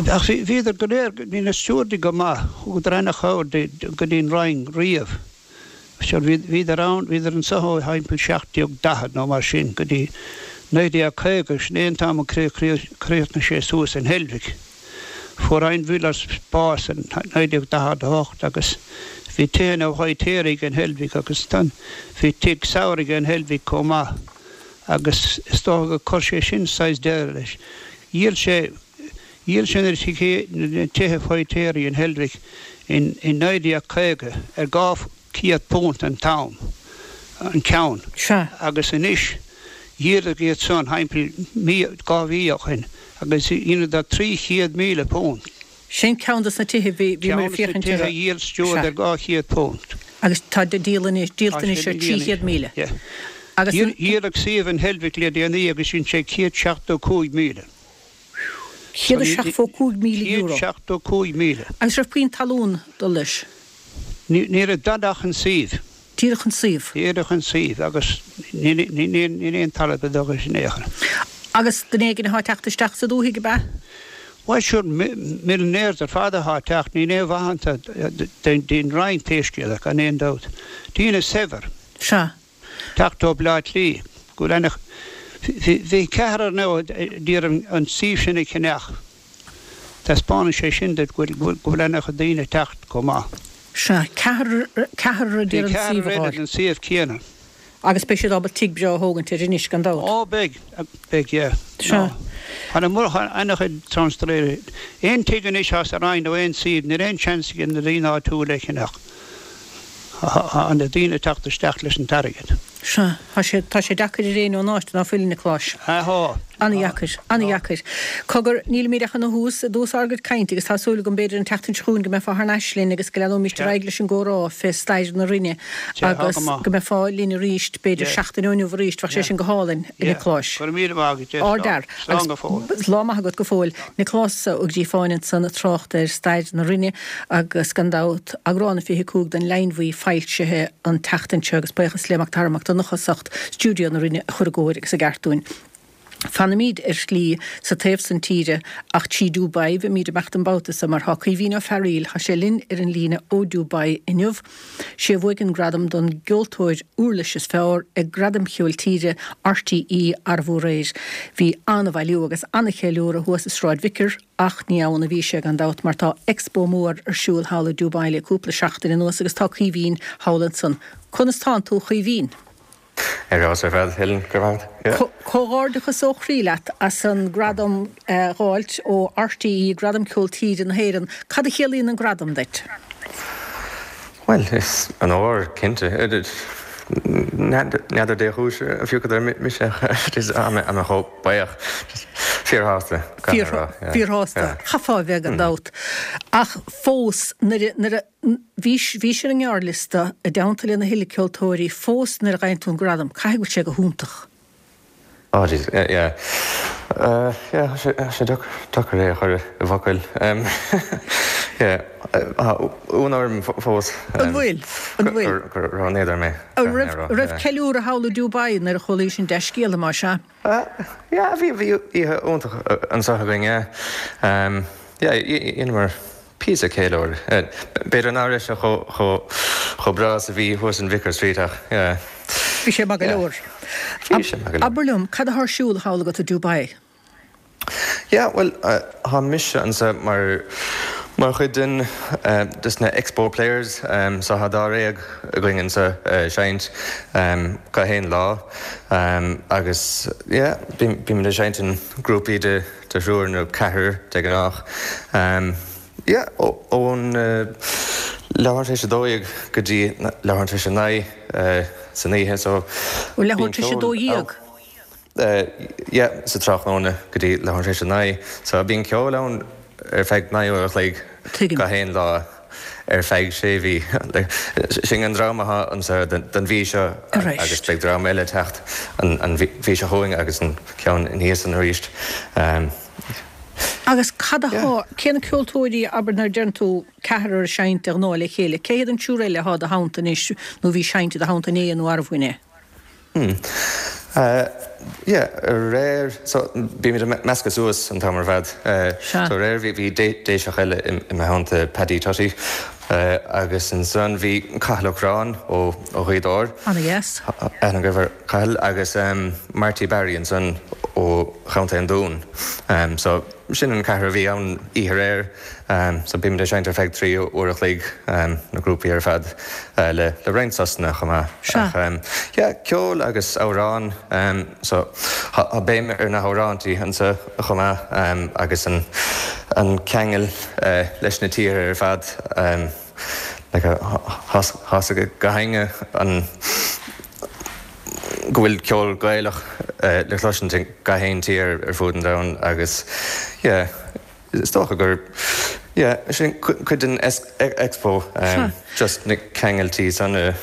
Speaker 3: ach bhí, bhíodar go léir, bhí na Stiúrdaigh go maith, thugadar ana-chabhair go dtí an Rinn riamh. Sure, bhí, bhíodar ann, bhíodar anso ó thimpeall 1740 nó mar sin go dtí 1950, sin é an t-am a chríochnaigh sé suas in Heilbhic. Fuair Einwillers bás in 1948 agus bhí tithe na bhFeiritéaraigh in Heilbhic agus bhí tigh samhraidh in Heilbhic chomh maith agus is dócha gur chuir sé sin saghas deireadh leis. Dhíol sé dhíol sé na tithe Feiritéaraigh in Heilbhic in 1950 ar £200 an t-am, an ceann.
Speaker 1: Sea.
Speaker 3: Agus anois, dhíoladh iad san thimpeall mí, 2 mhí ó shin, agus dheineadar £300,000.
Speaker 1: Sin ceann dos na tithe bhí, bhí muid ag
Speaker 3: féachaint
Speaker 1: orthu. Ceann dos na tithe
Speaker 3: a dhíol Stewart ar £200.
Speaker 1: Agus tá díol anois, díolta anois ar 300,000.
Speaker 3: Yeah. Agus an. Dhíoladh suíomh in Heilbhic le déanaí agus dhein sé 175,000.
Speaker 1: €175,000.
Speaker 3: 175,000.
Speaker 1: Agus raibh puinn talún dul leis?
Speaker 3: Ní raibh dada ach an suíomh.
Speaker 1: Díreach an suíomh.
Speaker 3: Díreach an suíomh agus níl aon talamh a dul leis in aon chor.
Speaker 1: Agus duine éigin atá ag teacht isteach sa dúthaigh, ab ea?
Speaker 3: Bhuel, sure, millionaires ar fad atá ag teacht, níl aon mhaith iontu don Rinn pé scéal é, gan aon dabht. Daoine saibhir.
Speaker 1: Sea.
Speaker 3: Teacht ó Bleá Cliath go bhfuil ana, bhí ceathrar now a d'iarraidh an suíomh sin a cheannach. Taispeánann sé sin duit go bhfuil, go bhfuil ana chuid daoine ag teacht chomh maith.
Speaker 1: Sea, ceathrar, ceathrar a
Speaker 3: Bhí
Speaker 1: d'iarraidh an
Speaker 3: ceathrar
Speaker 1: suíomh a
Speaker 3: eile
Speaker 1: fháil.
Speaker 3: den suíomh céanna.
Speaker 1: Agus beidh siad ábalta tigh breá a thógaint air anois, gan dabht.
Speaker 3: Ó beidh, beidh, yeah.
Speaker 1: Sea.
Speaker 3: No. Tá na mur, tá ana chuid transferéirí. Aon tigh anois atá sa Rinn nó aon suíomh, níl aon seans ag na daoine áitiúla é a cheannach. Tá na daoine ag teacht isteach leis an t-airgead.
Speaker 1: Sea, tá sé, tá sé deacair ar éinne ón áit, ná fuil, a Niocláis?
Speaker 3: Tá.
Speaker 1: Ana-dheacair, ana-dheacair. Cogar, nílimid ach ina thús, i dtús ár gcuid cainte agus tá súil agam b'fhéidir an tseachtain seo chugainn go mbeifeá thar n-ais linn agus go leanóimíst ar aghaidh leis an gcomhrá fé stair na Rinne agus go mbeifeá linn arís, b'fhéidir seachtain ó inniu arís, bheadh sé sin go hálainn, a Niocláis.
Speaker 3: Go raibh míle maith agat,
Speaker 1: Ardfhear.
Speaker 3: Slán go fóill.
Speaker 1: Agus lá maith agat go fóill. Nioclás Ó Gríofáin ansan ag trácht ar stair na Rinne agus gan dabht eagrán a 25 den Leidhinn Bhuí foilsithe an tseachtain seo agus buíochas le Mac Dara Mac Donncha as ucht stiúideo na Rinne a chur i gcóir agus i gceart dúinn. Fanaimíd ar shlí sa taobh san tíre ach trí Dubai bheimíd ag imeacht an babhta so mar tá Caoimhín Ó Fearaíl, tá sé linn ar an líne ó Dubai inniu. Sé a bhuaigh an gradam don gceoltóir uirlis is fearr ag Gradaim Cheoil Tíre RTÉ arbú aréir. Bhí an-bhailiú agus an-cheiliúradh thuas i Sráid Vicar Ach ní ann a bhí sé, gan dabht, mar tá Expo mór ar siúl thall i Dubai le cúpla seachtain anuas agus tá Caoimhín thall ansan. Conas tánn tú, a Chaoimhín?
Speaker 4: Ar fheabhas ar fad, Helen, go raibh maith agat.
Speaker 1: Comhghairdeachas ó chroí leat as an gradam a dh'fháilt ó RTÉ, Gradam Ceol Tíre na hÉireann. Cad a chiallaíonn an gradam duit?
Speaker 4: Bhuel, is onóir, cinnte. N'fheadar dé chúis a phiocadar mise ach tá mé chomh buíoch. Fíorshásta,
Speaker 1: gan a rá, yeah. Fíorshásta, chaithfeá a bheith gan dabht. Ach fós, nuair a, nuair a, bhís, bhís ar an ngearrliosta i dteannta lena thuilleadh ceoltóirí, fós nuair a fhaigheann tú an gradam, caithfidh go bhfuil sé go hiontach.
Speaker 4: Oh jeez, yeah, yeah. Yeah, tá sé, tá sé deacair é a chur i bhfocail. Yeah, tá ionadh orm fós.
Speaker 1: An bhfuil? An bhfuil?
Speaker 4: Gur roghnaíodar mé.
Speaker 1: An raibh, raibh ceiliúradh thall i Dubai nuair a chualaís an dea-scéala, más ea?
Speaker 4: Yeah, bhí, bhí oíche iontach anseo againn, yeah. Yeah, dheineamar píosa ceiliúradh. B'fhéidir nach raibh sé chomh breá is a bhí thuas in Vicar Street ach, yeah.
Speaker 1: Bhí sé maith go leor.
Speaker 4: Bhí sé maith go leor.
Speaker 1: Abair liom, cad atá ar siúl thall agat i Dubai?
Speaker 4: Yeah, bhuel, tá mise anseo mar mar chuid den des na Expo Players so tá dáréag againn anseo ag seinnt gach aon lá agus yeah, bímid ag seinnt in grúpaí de de thriúr nó ceathrar de ghnáth. Yeah, ón leathuair tar éis a 12 go dtí leathuair tar éis a 9 san oíche so
Speaker 1: Ó leathuair tar éis a 12?
Speaker 4: Yeah, sa tráthnóna go dtí leathuair tar éis a 9. So bíonn ceol ann ar feadh 9 uair a chloig gach aon lá ar feadh sé mhí. Sin an dream atá anseo don mhí seo agus beidh dream eile ag teacht an mhí seo chugainn agus an ceann ina dhiaidh san arís.
Speaker 1: Agus cad atá, cé na ceoltóirí, abair nuair a deireann tú ceathrar ag seinnt de ghnáth le chéile, cé hiad an triúr eile atá i do theannta anois nó a bhí ag seinnt i do theannta inné nó arbh inné?
Speaker 4: Hmm. Yeah, aréir, so bímid ag meascadh suas an t-am ar fad.
Speaker 1: Sea.
Speaker 4: So aréir bhí, bhí Déiseach eile i mo theannta, Paddy Tutty, agus ansan bhí Cathal Ó Curráin ó Ghaoth Dobhair.
Speaker 1: Ana-dheas.
Speaker 4: Aithne agaibh ar Cathal, agus Marty Barry ansan ó Chontae an Dúin. So sin an ceathrar a bhí ann oíche aréir. So bímid ag seinnt ar feadh 3 uair a chloig, na grúpaí ar fad, le roinnt sosanna chomh maith.
Speaker 1: Sea.
Speaker 4: Ach yeah, ceol agus amhráin, so tá béim ar na hamhráintí anseo chomh maith agus an an ceangal leis na tíortha ar fad, like tá a fhios ag gach éinne an go bhfuil ceol Gaelach le cloisint i gach aon tír ar fud an domhain agus yeah, Is dócha gur, yeah, sin cuid den Expo, just na ceangailtí san a.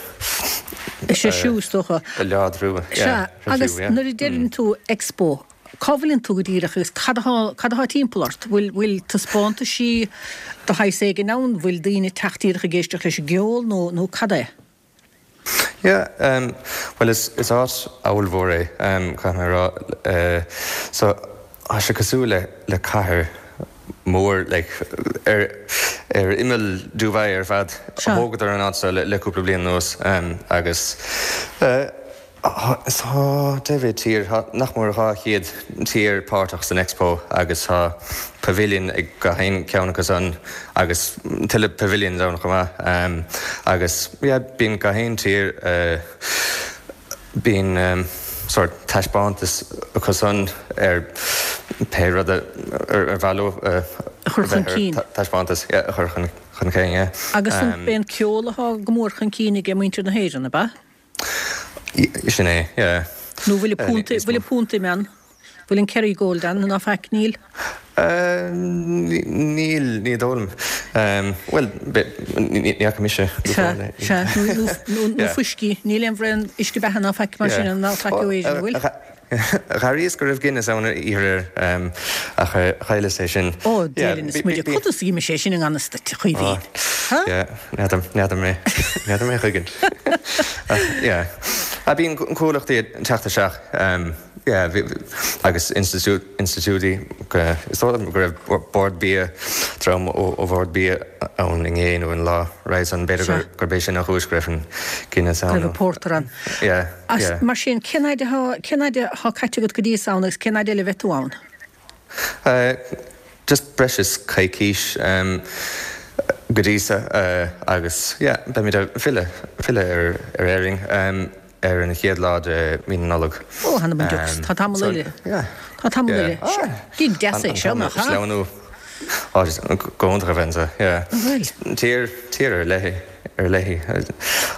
Speaker 1: Is é siú, is dócha.
Speaker 4: A láidriú,
Speaker 1: yeah. Sea, agus nuair a deireann tú Expo, cá bhfuileann tú go díreach agus cad atá, cad atá timpeall ort? Bhfuil, bhfuil taispeántaisí de shaghas éigin ann? Bhfuil daoine ag teacht díreach ag éisteacht leis an gceol nó, nó cad é?
Speaker 4: Yeah, bhuel is is áit ollmhór é, caithfidh mé a rá. So tá sé cosúil le le cathair mhór like ar ar imeall Dubai ar fad. Thógadar an áit seo le le cúpla bliain anuas agus Tá deich tír, tá nach mór 200 tír páirteach san Expo agus tá pavilion ag gach aon cheann acu san agus tuilleadh pavilions ann chomh maith. Agus yeah bíonn gach aon tír, bíonn sórt taispeántas acu san ar pé rud ar mhaith leo
Speaker 1: a chur chun cinn.
Speaker 4: Taispeántas, yeah, a chur chun cinn, yeah.
Speaker 1: Agus an é an ceol atá go mór chun cinn ag muintir na hÉireann, ab ea?
Speaker 4: Sin é, yeah.
Speaker 1: Nó bhfuil an punt, bhfuil an punt ime ann? Bhfuil an Kerrygold ann ná faic? Níl?
Speaker 4: Níl, ní dóigh liom. Bhuel, ní fhaca mise go
Speaker 1: fóill é. Sea, sea. Nó, nó fuiscí. Níl aon bhraon uisce beatha ná faic mar sin ann ná faic ó Éirinn, an bhfuil?
Speaker 4: Dh'airíos go raibh Guinness ann oíche aréir ach chailleas é sin.
Speaker 1: Ó, Dia linn is muide, conas a d'imigh sé sin i ngan fhios duit, a Chaoimhín?
Speaker 4: Ha? Yeah, n'fheadar, n'fheadar mé, n'fheadar mé a chuigeann. Ach, yeah. Ah, bíonn comhlachtaí ag teacht isteach, yeah, agus institiúidí, is dóigh liom go raibh Bord Bia, dream ó Bhord Bia ann inné nó an lá roimhe san, b'fhéidir gurb é sin an chúis go raibh an Guinness
Speaker 1: ann. Go raibh an pórtar ann.
Speaker 4: Yeah.
Speaker 1: As, mar sin, cén fhaid atá, cén fhaid atá caite agat go dtí is ann agus cén fhaid eile a bheidh tú ann?
Speaker 4: Just breis is coicís go dtí so agus yeah beimid ag filleadh, filleadh ar, ar Éirinn ar an chéad lá de mhí na Nollag.
Speaker 1: Ó, th'anam 'on deox, tá tamall eile.
Speaker 4: Yeah.
Speaker 1: Tá tamall eile. Sea, gig deas é seo, nach ea?
Speaker 4: Á, go hiontach a bheith anseo, yeah.
Speaker 1: An bhfuil?
Speaker 4: Tír, tír ar leith é, ar leith í.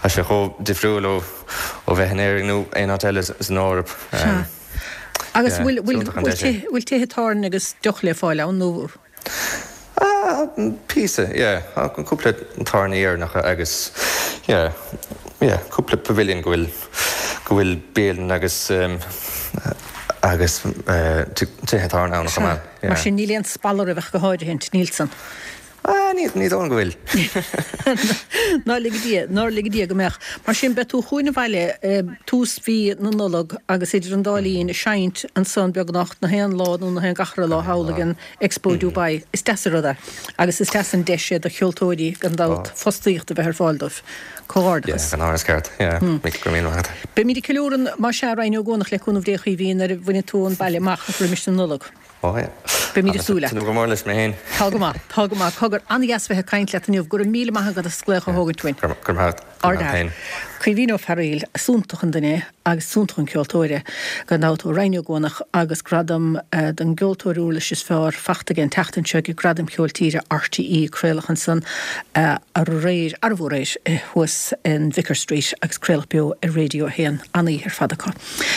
Speaker 4: Tá sé chomh difriúil ó, ó bheith in Éirinn nó aon áit eile san Eoraip.
Speaker 1: Sea. Agus bhfuil bhfuil tithe tábhairne agus deoch le fáil ann nó?
Speaker 4: Píosa, yeah. Cúpla tábhairní Éireannacha agus yeah, yeah, cúpla pavilion go bhfuil, go bhfuil bialann agus agus tithe tábhairne ann chomh maith,
Speaker 1: yeah. Mar sin níl aon spalla roimh ach go háirithe, níl san.
Speaker 4: Ah, ní, ní dóigh liom go bhfuil.
Speaker 1: Ná lige Dia, nár lige Dia go mbeadh. Mar sin, beidh tú chugainn abhaile tús mhí na Nollag agus idir an dá linn ag seinnt ansan beagnach na haon lá nó na haon gach re lá thall ag an Expo Dubai. Is deas an rud é agus is deas an deis é do cheoltóirí gan dabht fostaíocht a bheith ar fáil dóibh. Comhghairdeachas.
Speaker 4: Yeah, gan amhras ceart. Yeah, go raibh míle maith agat.
Speaker 1: Beimid ag ceiliúradh más ea, Ryan Ó Guanach le cúnamh Dé a Chaoimhín nuair a bhainfidh tú an baile amach roimis an Nollaig. Beimid ag súil leat.
Speaker 4: Tá mé go mór leis mé féin.
Speaker 1: Tá go maith, tá go maith. Cogar, an-dheas bheith ag caint leat inniu. Go raibh míle maith agat as glaoch a thógaint uainn.
Speaker 4: Go raibh maith agat.
Speaker 1: Ard-fhear. Caoimhín Ó Fearaíl, is iontach an duine é agus is iontach an ceoltóir é, gan dabht, ó Rinn Ó gCuanach agus gradam don gceoltóir uirlis is fearr fachta aige an tseachtain seo ag Gradaim Cheoil Tíre RTÉ. Craoladh ansan aréir, arbh aréir, thuas in Vicar Street agus craoladh beo ar Radio 1. An-oíche ar fad acu.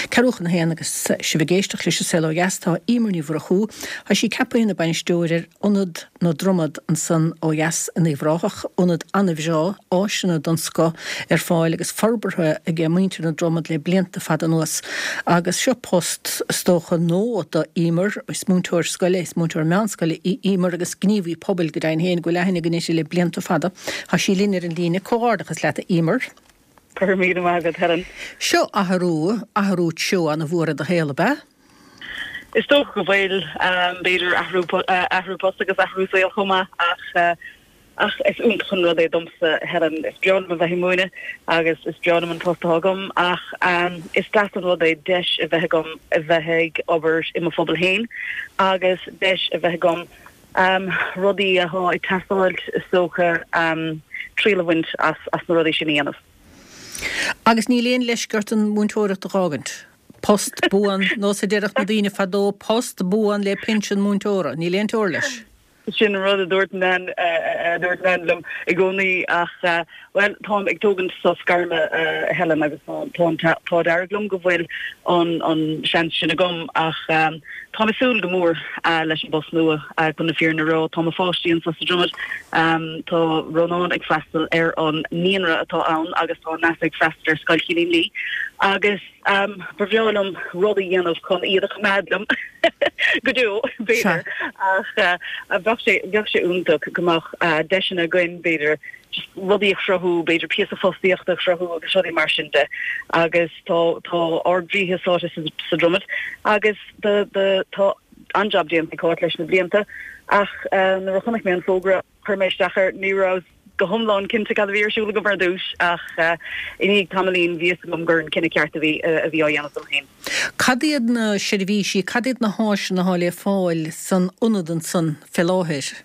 Speaker 1: Ceathrú chun a haon agus sibh ag éisteacht leis An Saol Ó Dheas, tá Emer Ní Mhurchú, tá sí ceaptha ina bainisteoir ar Ionad na Dromad ansan ó dheas in Uíbh Ráthach, ionad an-bhreá, áiseanna den scoth ar fáil agus forbartha ag muintir na Dromad le blianta fada anuas. Agus seo post, is dócha, nua do Emer, is múinteoir scoile, is múinteoir meánscoile í Emer agus gníomhaí pobail go deimhin féin go bhfuil aithne againn uirthi le blianta fada. Tá sí linn ar an líne. Comhghairdeachas leat a Emer.
Speaker 5: Go raibh míle maith agat, Helen.
Speaker 1: Seo athrú, athrú treo ana-mhór i do shaol, ab ea?
Speaker 5: Is dócha go bhfuil. B'fhéidir athrú, athrú post agus athrú saoil chomh maith ach, ach is iontach an rud é domsa, Helen. Is breá liom a bheith ag múineadh agus is breá liom an post atá agam ach is deas an rud é deis a bheith agam a bheith ag obair i mo phobal féin agus deis a bheith agam rudaí atá ag teastáil is dócha triail a bhaint as na rudaí sin a dhéanamh.
Speaker 1: Agus níl aon leisce ort an mhúinteoireacht a dh'fhágaint? Post buan, nós a déarfadh na daoine fadó, post buan le pinsean múinteora, níl aon teora leis.
Speaker 5: Sin an rud a dúirt Nan, a dúirt Nan liom i gcónaí ach, bhuel, táim ag tógaint sos gairme, a Helen, agus tá an t-ádh dearg liom go bhfuil an seans sin agam ach táim ag súil go mór leis an bpost nua, chun na fírinne a rá. Tá mo pháistí anseo sa Dromad, tá Rónán ag freastal ar an naíonra atá ann agus tá Neasa ag freastal ar Scoil Chillín Lí agus ba bhreá liom rud a dhéanamh chun iad a choimeád liom go deo, b'fhéidir, ach bheadh sé, bheadh sé iontach go mbeadh deiseanna againn, b'fhéidir, just rudaí a chruthú, b'fhéidir píosa fostaíochta a chruthú agus rudaí mar sin de agus tá tá ár gcroíthe sáite sa sa Dromad agus the the tá an-jab déanta ag Cáit leis na blianta ach nuair a chonaic mé an fógra chuir mé isteach air, ní rabhas go hiomlán cinnte cad a bhí ar siúl agam ar dtús ach i ndiaidh tamaillín bhí fhios agam gur an cinneadh ceart a bhí a bhí á dhéanamh dom féin.
Speaker 1: Cad iad na seirbhísí, cad iad na háiseanna atá le fáil san ionad ansan fé láthair?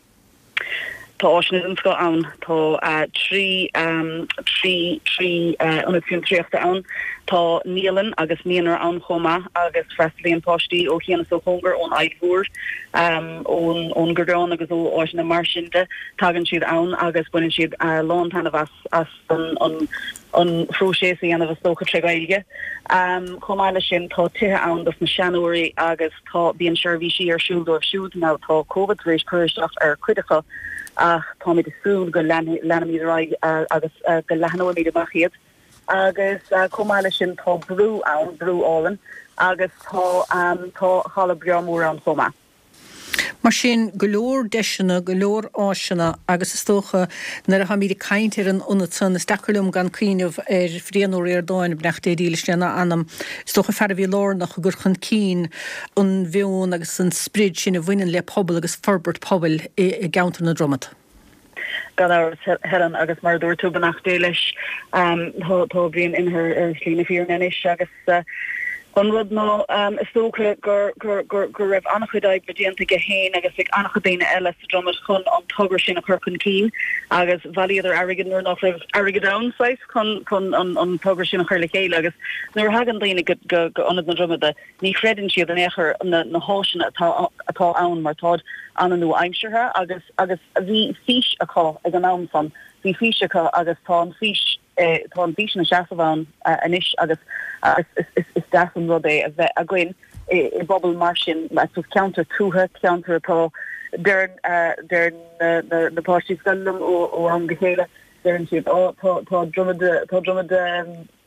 Speaker 5: Tá áiseanna den scoth ann. Tá 3, 3, 3 ionad fiontraíochta ann. Tá naíolann agus naíonra ann chomh maith agus freastalaíonn páistí ó chian is ó chóngar, ón Aill Mhór, ón ón gCoireán agus ó áiteanna mar sin de. Tagann siad ann agus baineann siad a lán taitneamh as as an an an phróiseas a dhéanamh is dócha tré Ghaeilge. Chomh maith leis sin tá tithe ann dos na seanóirí agus. Tá, bíonn seirbhísí ar siúl dóibh siúd. Now tá Covid tar éis cur isteach ar chuid acu ach táimid ag súil go leanfaimid ar aghaidh agus go leathnóimid amach iad. Agus chomh maith leis sin tá brú ann, brú álainn agus tá tá halla breá mór ann chomh maith.
Speaker 1: Mar sin, go leor deiseanna, go leor áiseanna agus is dócha nuair atháimid ag caint ar an ionad san, is deacair liom gan cuimhneamh ar Bhrian Ó Ríordáin, beannacht Dé dílis lena anam, Is dócha fear a bhí lárnach i gcur chun cinn an mheon agus an sprid sin a bhaineann le pobal agus forbairt pobail i gceantar na Dromad.
Speaker 5: Gan amhras, Helen, agus mar a dúirt tú, beannacht Dé leis. Tá Brian imithe ar shlí na fírinne anois agus an rud ná, is dócha go raibh an-chuid oibre déanta aige féin agus ag an-chuid daoine eile sa Dromad chun an togra sin a chur chun cinn agus bhailíodar airgead nuair nach raibh airgead ann, saghas. chun chun an togra sin a chur le chéile agus nuair a thagann daoine go go go Ionad na Dromada ní chreideann siad in aon chor na na háiseanna atá atá ann mar táid an-nua-aimseartha agus agus bhí fís acu ag an am san, bhí fís acu agus tá an fís tá an fís ina seasamh ann anois agus agus is is is deas an rud é a bheith againn. i bpobal mar sin, I suppose ceantar tuaithe, ceantar atá, deireann, deireann na, na páistí scoile liom ó, ó am go chéile, deireann siad, ó tá, tá Dromad, tá Dromad,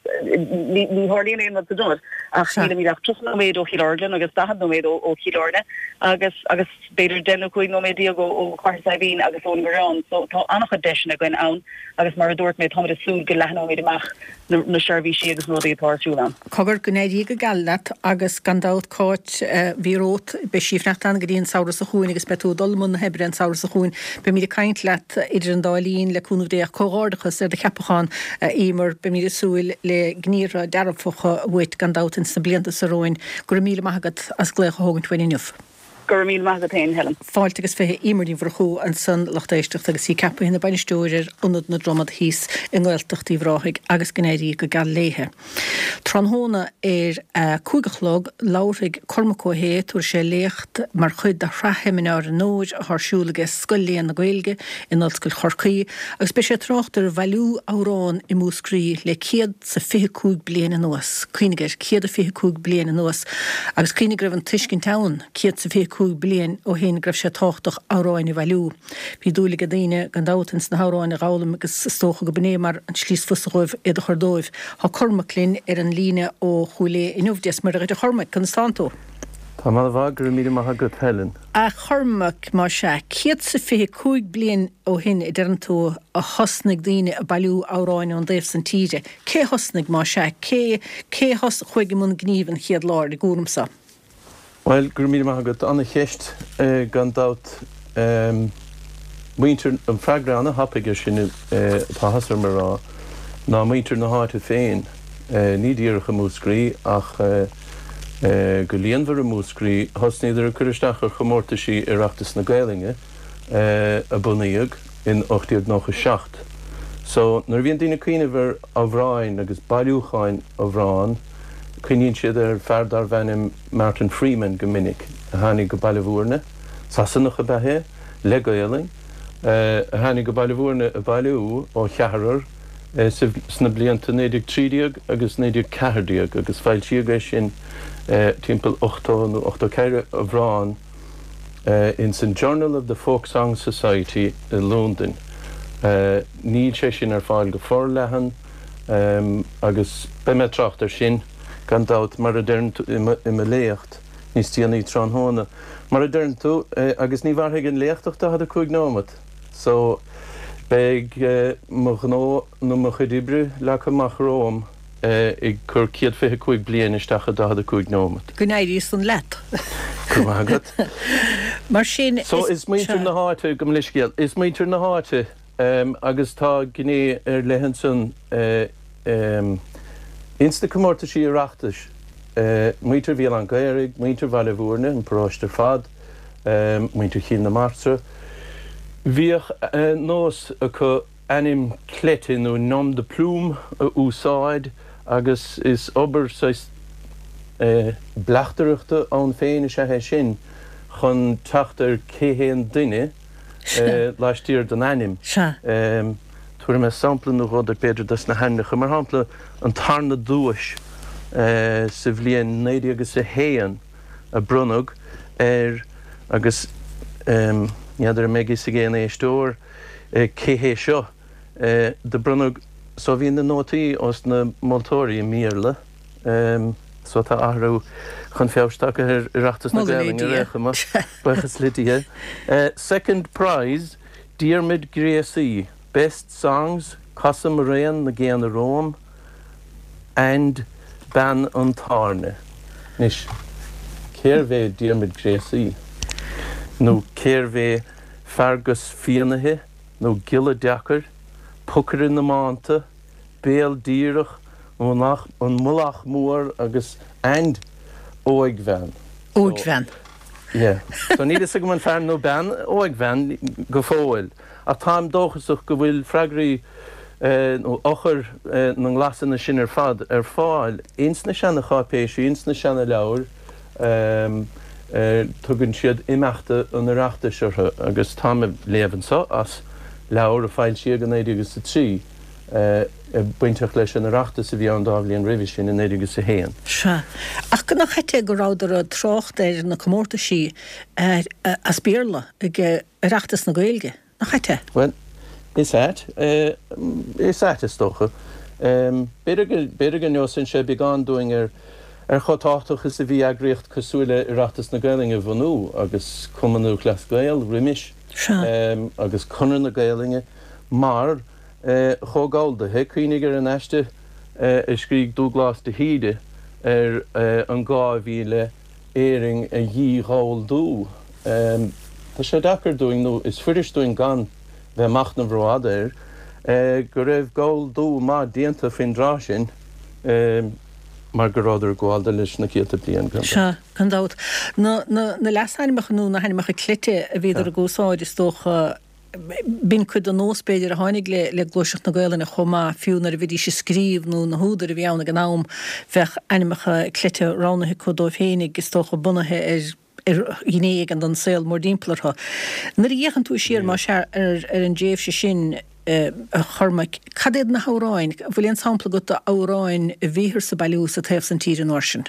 Speaker 5: Ní tharlaíonn aon rud sa Dromad ach nílimid ach 30 nóiméad ó Chill Orglan agus 40 nóiméad ó Chill Airne agus agus b'fhéidir 10 nó 15 nóiméad ó Chathair Saidhbhín agus ón nGareán. So tá an-chuid deiseanna againn ann agus mar a dúirt mé táimid ag súil go leathnóimid amach na seirbhísí agus na rudaí atá ar siúl ann.
Speaker 1: Cogar, go n-éirí go geal leat agus gan dabht Cáit a bhí romhat, beidh sí ag fanacht ann go dtí an samhradh seo chugainn agus beidh tú ag dul i mbun na hoibre an samhradh seo chugainn. Beimid ag caint leat idir an dá linn, le cúnamh Dé ach comhghairdeachas ar do cheapachán, a Emer. Beimid ag súil le gníomhartha dearfacha uait gan dabht ins na blianta seo romhainn. Go raibh míle maith agat as glaoch a thógaint uainn inniu.
Speaker 5: Go raibh míle maith agat féin, Helen.
Speaker 1: Fáilte agus 20 Emer Ní Mhurchú ansan, lucht éisteachta, agus í ceaptha ina bainisteoir ar Ionad na Dromad thíos i nGaeltacht Uíbh Ráthaigh agus go n-éirí go geal léithe. Tráthnóna ar a 5 a chlog, labharfaidh Cormac Ó hAodha, tabharfaidh sé léacht mar chuid de shraith sheimineár an Fhómhair atá ar siúl aige Scoil Léann na Gaeilge in Ollscoil Chorcaí agus beidh sé ag trácht ar bhailiú amhrán i Múscraí le 125 bliain anuas. Cuimhnigh air, 125 bliain anuas agus cuimhnigh go raibh an tuiscint ann 125 bliain ó shin go raibh sé tábhachtach amhráin a bhailiú. Bhí dúil ag daoine, gan dabht, ins na hamhráin a dh'fhoghlaim agus is dócha go b'in é mar an tslí is fusa dhóibh iad a chur dóibh. Tá Cormac linn ar an líne ó Chúil Aodha inniu. Dia 's Muire dhuit a Chormaic, conas tánn tú?
Speaker 6: Táim an-mhaith, go raibh míle maith agat Helen.
Speaker 1: A Chormaic, más ea, 125 bliain ó shin a deireann tú a thosnaigh daoine ag bailiú amhráin ón dtaobh san tíre. Cé thosnaigh, más ea? Cé, cé chuaigh i mbun gnímh an chéad lá ar an gcúram so?
Speaker 6: Bhuel, go raibh míle maith agat. Ana-cheist, gan dabht. Muintir, an freagra ana-thapaidh air sin atá áthas orm a rá, ná muintir na háite féin. Ní díreach i Múscraí ach go líonmhar i Múscraí. Thosnaíodar ag cur isteach ar chomórtaisí Oireachtas na Gaelainne a bunaíodh in 1897. So, nuair a bhíonn daoine ag cuimhneamh ar amhráin agus bailiúcháin amhrán, Cuimhníonn siad ar fear darbh ainm Martin Freeman go minic, a tháinig go Baile Bhúirne, Sasanach ab ea é, le Gaolainn, a tháinig go Baile Bhúirne ag bailiú ó cheathrar sna blianta 1913 agus 1914 agus foilsíodh é sin timpeall 80 nó 84 amhrán ins an Journal of the Folk Song Society i Londain. Níl sé sin ar fáil go forleathan. Agus beidh mé ag trácht air sin, gan dabht, mar a deireann tú, i mo léacht níos déanaí tráthnóna. Mar a deireann tú, agus ní mhairfidh an léacht ach 45 nóimeat, so beidh mo ghnó nó mo chuid oibre leagtha amach romham ag cur 125 bliain isteach i 45 nóimeat.
Speaker 1: Go n-éirí san leat.
Speaker 6: Go raibh maith agat.
Speaker 1: Mar sin,
Speaker 6: So is muintir na háite, gabh mo leithscéal, is muintir na háite Agus tá gné ar leith ansan ins na comórtaisí Oireachtais, muintir Bhéal Átha an Ghaorthaidh, muintir Bhaile Bhúirne, an paróiste ar fad, muintir Chill na Martra, bhíodh nós acu ainm cleite nó nom de plume a úsáid agus is obair saghas bleachtaireachta ann féin is ea é sin chun teacht ar cé hé an duine laistiar den ainm. Tabharfaidh mé sampla nó dhó duit b'fhéidir dos na hainmneacha. Mar shampla, an tarna duais sa bhliain 1901 a bronnadh ar, agus ní fheadar an mbeidh fhios ag aon éisteoir cé hé seo, do bronnadh, so bhí na nótaí ós na moltóirí i mBéarla, So tá athrú chun feabhais tagtha ar Oireachtas na
Speaker 1: Moladh le
Speaker 6: Gaelainne ar
Speaker 1: Dia.
Speaker 6: aon chuma, buíochas le Dia. Second prize, Diarmuid Gréasaí, Best Songs, Cosa mo Raon na gCéanna Romham and Bean an Tábhairne. Anois, cérbh é Diarmuid Gréasaí? Nó cérbh é Feargus Fiannaithe nó Giolla Deacair, Pocaire na Mánta? Béal Díreach, an Mullach Mór agus and Óigbhean.
Speaker 1: Óigbhean.
Speaker 6: Yeah. So níl fhios agam an fear nó bean óigbhean go fóill. Ach táim dóchasach go bhfuil freagraí nó eochair na nglasanna sin ar fad ar fáil ins na seana-cháipéisí, ins na seana-leabhair. Tugann siad Imeachta an Oireachtais orthu agus táim ag léamh anseo as leabhar a foilsíodh i 1903. bainteach leis an Oireachtas a bhí ann dá bhliain roimhe sin, i 1901.
Speaker 1: Sea. Ach nach ait é go rabhadar ag trácht ar na comórtaisí as Béarla ag Oireachtas na Gaeilge? Nach ait é?
Speaker 6: Bhuel, is ait. Is ait, is dócha. B'fhéidir go, b'fhéidir go neosann sé beagán dúinn ar, ar chomh tábhachtach is a bhí eagraíocht cosúil le Oireachtas na Gaelainne a bhunú agus Cumann Lúthchleas Gael roimis agus Conradh na Gaelainne mar chomh galldaithe. Cuimhnigh ar an aiste a scrígh Dúglás de hÍde ar an gá a bhí le Éirinn a dhí-ghalldú. Tá sé deacair dúinn, nó is fuirist dúinn gan bheith ag machnamh rófhada air, go raibh galldú maith déanta faoin dtráth sin mar go rabhadar ag gabháil de leis na céadta bliain, gan dabht.
Speaker 1: Sea, gan dabht. Na leasainmneacha nó na hainmneacha cleite a bhíodar ag úsáid, is dócha, B'in cuid den nós, b'fhéidir, a tháinig le gluaiseacht na Gaelainne chomh maith, fiú nuair a bhídís ag scríobh nó na húdair a bhí ann ag an am, bheadh ainmneacha cleite roghnaithe acu dóibh féinig, is dócha, bunaithe ar ar ghné éigin den saol mórthimpeall orthu. Nuair a fhéachann tú siar, más ea, ar an dtréimhse sin, a Chormaic, cad iad na hamhráin, an bhfuil aon sampla agat d'amhráin a bhíothas ag bailiú sa taobh san tíre an uair sin?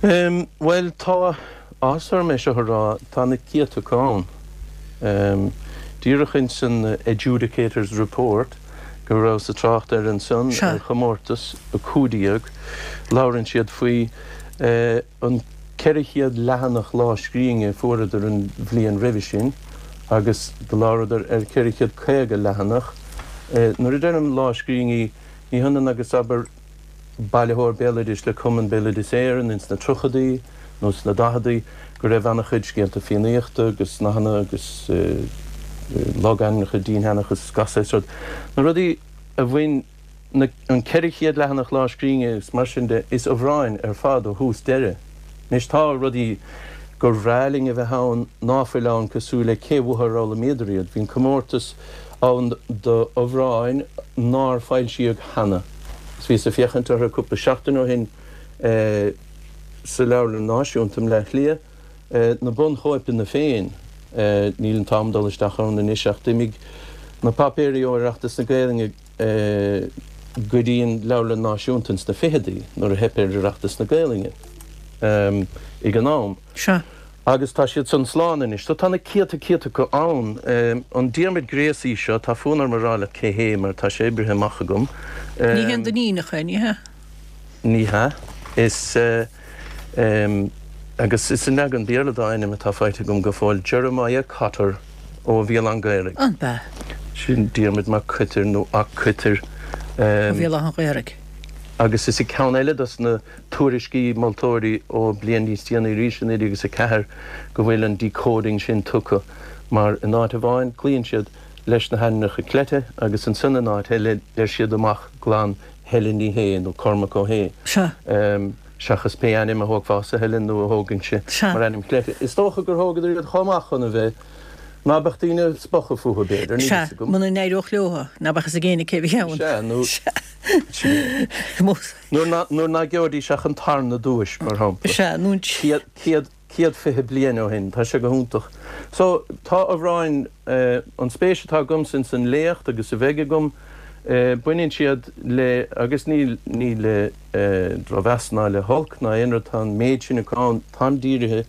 Speaker 6: Bhuel, tá áthas orm é seo a rá, tá na céadta acu ann. Díreach ins an Adjudicator's Report go rabhas ag trácht air ansan ar chomórtas 15, labhrann siad faoi an 400 leathanach lámhscríbhinne a fuaireadar an bhliain roimhe sin agus do labhradar ar 450 leathanach. Nuair a deirim lámhscríbhinní, ní hionann agus, abair, bailitheoir béaloidis le Cumann Béaloideas Éireann ins na tríochadaí nó sna daicheadaí go raibh ana-chuid scéalta Fiannaíochta agus nathanna agus logainmneacha, dinnseanchas, gach saghas rud. Na rudaí a bhain na, an 400 leathanach lámhscríbhinne agus mar sin de, is amhráin ar fad ó thús deireadh. Anois tá rudaí gur bhreá linn a bheith ann ná fuil ann cosúil le cé uathu ar fhoghlaimíodar iad. Bhí an comórtas ann d'amhráin nár foilsíodh cheana. Is bhíos ag féachaint orthu cúpla seachtain ó shin sa Leabharlann Náisiúnta i mBleá Cliath, na bunchóipeanna féin. Níl an t-am dul isteach ann anois ach d'imigh na páipéirí ó Oireachtas na Gaelainne go dtí an Leabharlann Náisiúnta ins na ficheadaí nuair a theip ar Oireachtas na Gaelainne ag an am.
Speaker 1: Sea.
Speaker 6: Agus tá siad san slán anois. So tá na céadta céadta acu ann. An Diarmuid Gréasaí seo, tá fonn orm a rá leat cé hé mar tá sé oibrithe amach agam.
Speaker 1: Ní hé an Duinníneach é, ní hea?
Speaker 6: Ní hea. Is, agus is an leagan Béarla dá ainm atá faighte agam go fóill, Jeremiah Cotter ó Bhéal Átha an Ghaorthaidh.
Speaker 1: An b'ea?
Speaker 6: Sin Diarmuid Mac Coitir nó 'Ac Coitir.
Speaker 1: Ó Bhéal Átha an Ghaorthaidh.
Speaker 6: Agus is i gceann eile dos na tuairiscí moltóirí ó bliain níos déanaí arís, i 1904, go bhfuil an decoding sin tugtha mar in áit amháin cloíonn siad leis na hainmneacha cleite agus ansan in áit eile deir siad amach glan Helen Ní Shé nó Cormac Ó hAodha seachas pé ainm a thógfása Helen nó a thógainnse mar ainm cleite. Is dócha gur thógadar iad chomh maith chun a bheith ná beadh daoine ag spochadh fúthu b'fhéidir, níl
Speaker 1: fhios agam. Sea, muna n-éireodh leo, ná beadh fhios ag éinne cé bhí ann.
Speaker 6: Sea, nó Nuair ná gheobhaidís ach an tarna duais, mar shampla.
Speaker 1: Sea, nó an.
Speaker 6: 120 bliain ó shin. Tá sé go hiontach. So, tá amhráin, an spéis atá agamsa ins an léacht agus a bheidh agam, baineann siad le, agus ní, ní le drochmheas ná le holc ná aon rud, tá an méid sin acu ann, táim dírithe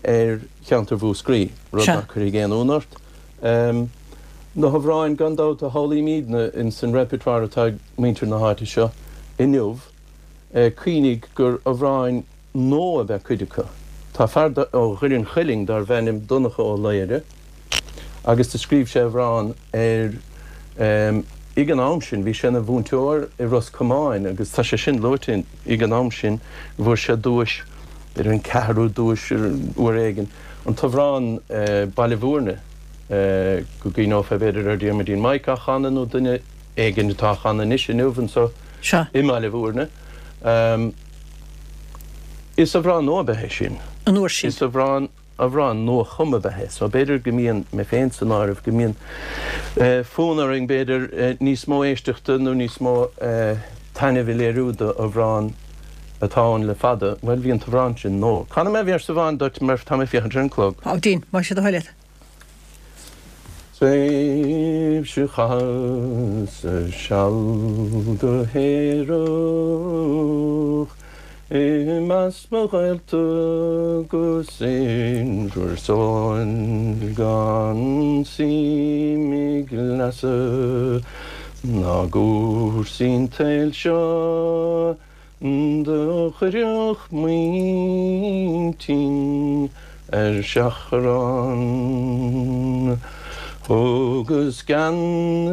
Speaker 6: ar cheantar Mhúscraí, rud nach cuirfidh aon ionadh ort. Na hamhráin, gan dabht, a shamhlaímidne ins an repertoire atá ag muintir na háite seo inniu, cuimhnigh gur amhráin nua ab ea cuid acu. Tá fear ó Dhoire an Chuilinn darbh ainm Donncha Ó Laoghaire agus do scríobh sé amhrán ar, ag an am sin, bhí sé ina mhúinteoir i Ros Comáin agus tá sé sin luaite ag an am sin go bhfuair sé duais, b'fhéidir an ceathrú duais uair éigin. An t-amhrán Baile Bhúirne, go gcuimhneofá b'fhéidir ar Diarmuidín Mike á chanadh nó duine éigin atá á chanadh anois inniu anseo i mBaile Bhúirne. Is amhrán nua ab ea é sin.
Speaker 1: An uair sin.
Speaker 6: Is amhrán, amhrán nua-chumtha ab ea é. So b'fhéidir go mbíonn, mé féin san áireamh, go mbíonn fonn orainn b'fhéidir níos mó éisteachta nó níos mó taitnimh a léiriú d'amhrán atá ann le fada, bhuel, bhí an t-amhrán sin nua. Canfaidh mé véarsa amháin duit mar tá mé ag féachaint ar an clog.
Speaker 1: Á, déan, más é do thoil é.
Speaker 6: Sea. Tréimhse chaitheas-sa seal go haerach i measc mo ghaolta 'gus in bhur sáil gan suim i gcleasa ná gcúrsaí an tsaoil seo. Do chuirfeadh m'intinn ar seachrán. Thugas gean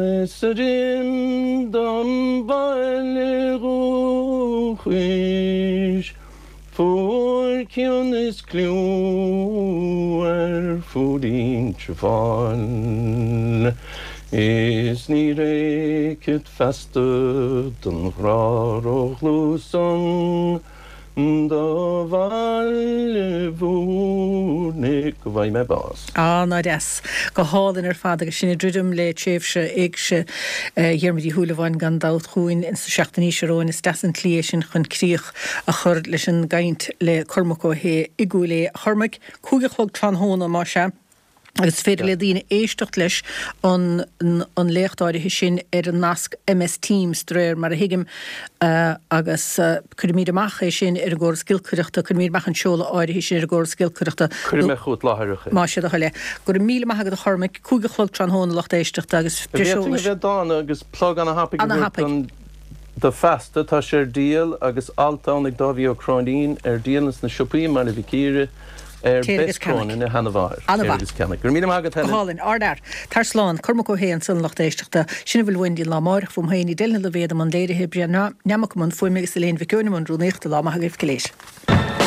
Speaker 6: is droim dom bhaile dhúchais, Fuair cion is cliú ar fud Inse Fáil, Is ní fhéachfad feasta don ghrá ródhlúth san do Bhaile Bhúirne go bhfaighidh mé bás.
Speaker 1: Ah, ná deas. Go hálainn ar fad agus sinn ag druidim le tréimhse éigse Dhiarmuid Uí Shúilleabháin gan dabht chugainn ins na seachtainí seo romhainn. Is deas an tslí é sin chun críoch a chur leis an gcaint le Cormac Ó hAodha i gCúil Aodha. A Chormaic, 5 a chlog tráthnóna, más ea, agus is féidir le daoine éisteacht leis an an léacht áirithe sin ar an nasc MS Teams, de réir mar a thuigim, agus cuirfimid amach é sin ar an gcóras giolcaireachta, cuirfimid amach an seoladh áirithe sin ar an gcóras giolcaireachta.
Speaker 6: Cuirfidh mé chugat láithreach é.
Speaker 1: Más é do thoil é. Go raibh míle maith agat a Chormaic, 5 a chlog tráthnóna lucht éisteachta agus breis
Speaker 6: eolais. An bhféadfainn a bheith dána agus plug ana-thapaidh a thabhairt don. Do Feasta, tá sé ar díol agus alt ann ag Dáibhí Ó Cróinín ar díol ins na siopaí i mBaile Mhic Íre ar
Speaker 1: Téir agus
Speaker 6: Bess Cronin
Speaker 1: ceannaigh.
Speaker 6: a sheanamháthair.
Speaker 1: Ana
Speaker 6: Téir
Speaker 1: mhaith.
Speaker 6: agus ceannaigh. Go raibh míle maith agat
Speaker 1: Go
Speaker 6: Helen.
Speaker 1: hálainn. Ardfhear. Tar slán. Cormac Ó hAodha ansan a lucht éisteachta. Sin a bhfuil uainn go dtí an lá amáireach. Fúm féin, Edel Ní Loibhéad i mbun léirithe, Brian Neamac i mbun fuaime agus Elaine Mhic Eoin i mbun rúnaíochta. Lá maith agaibh go léir.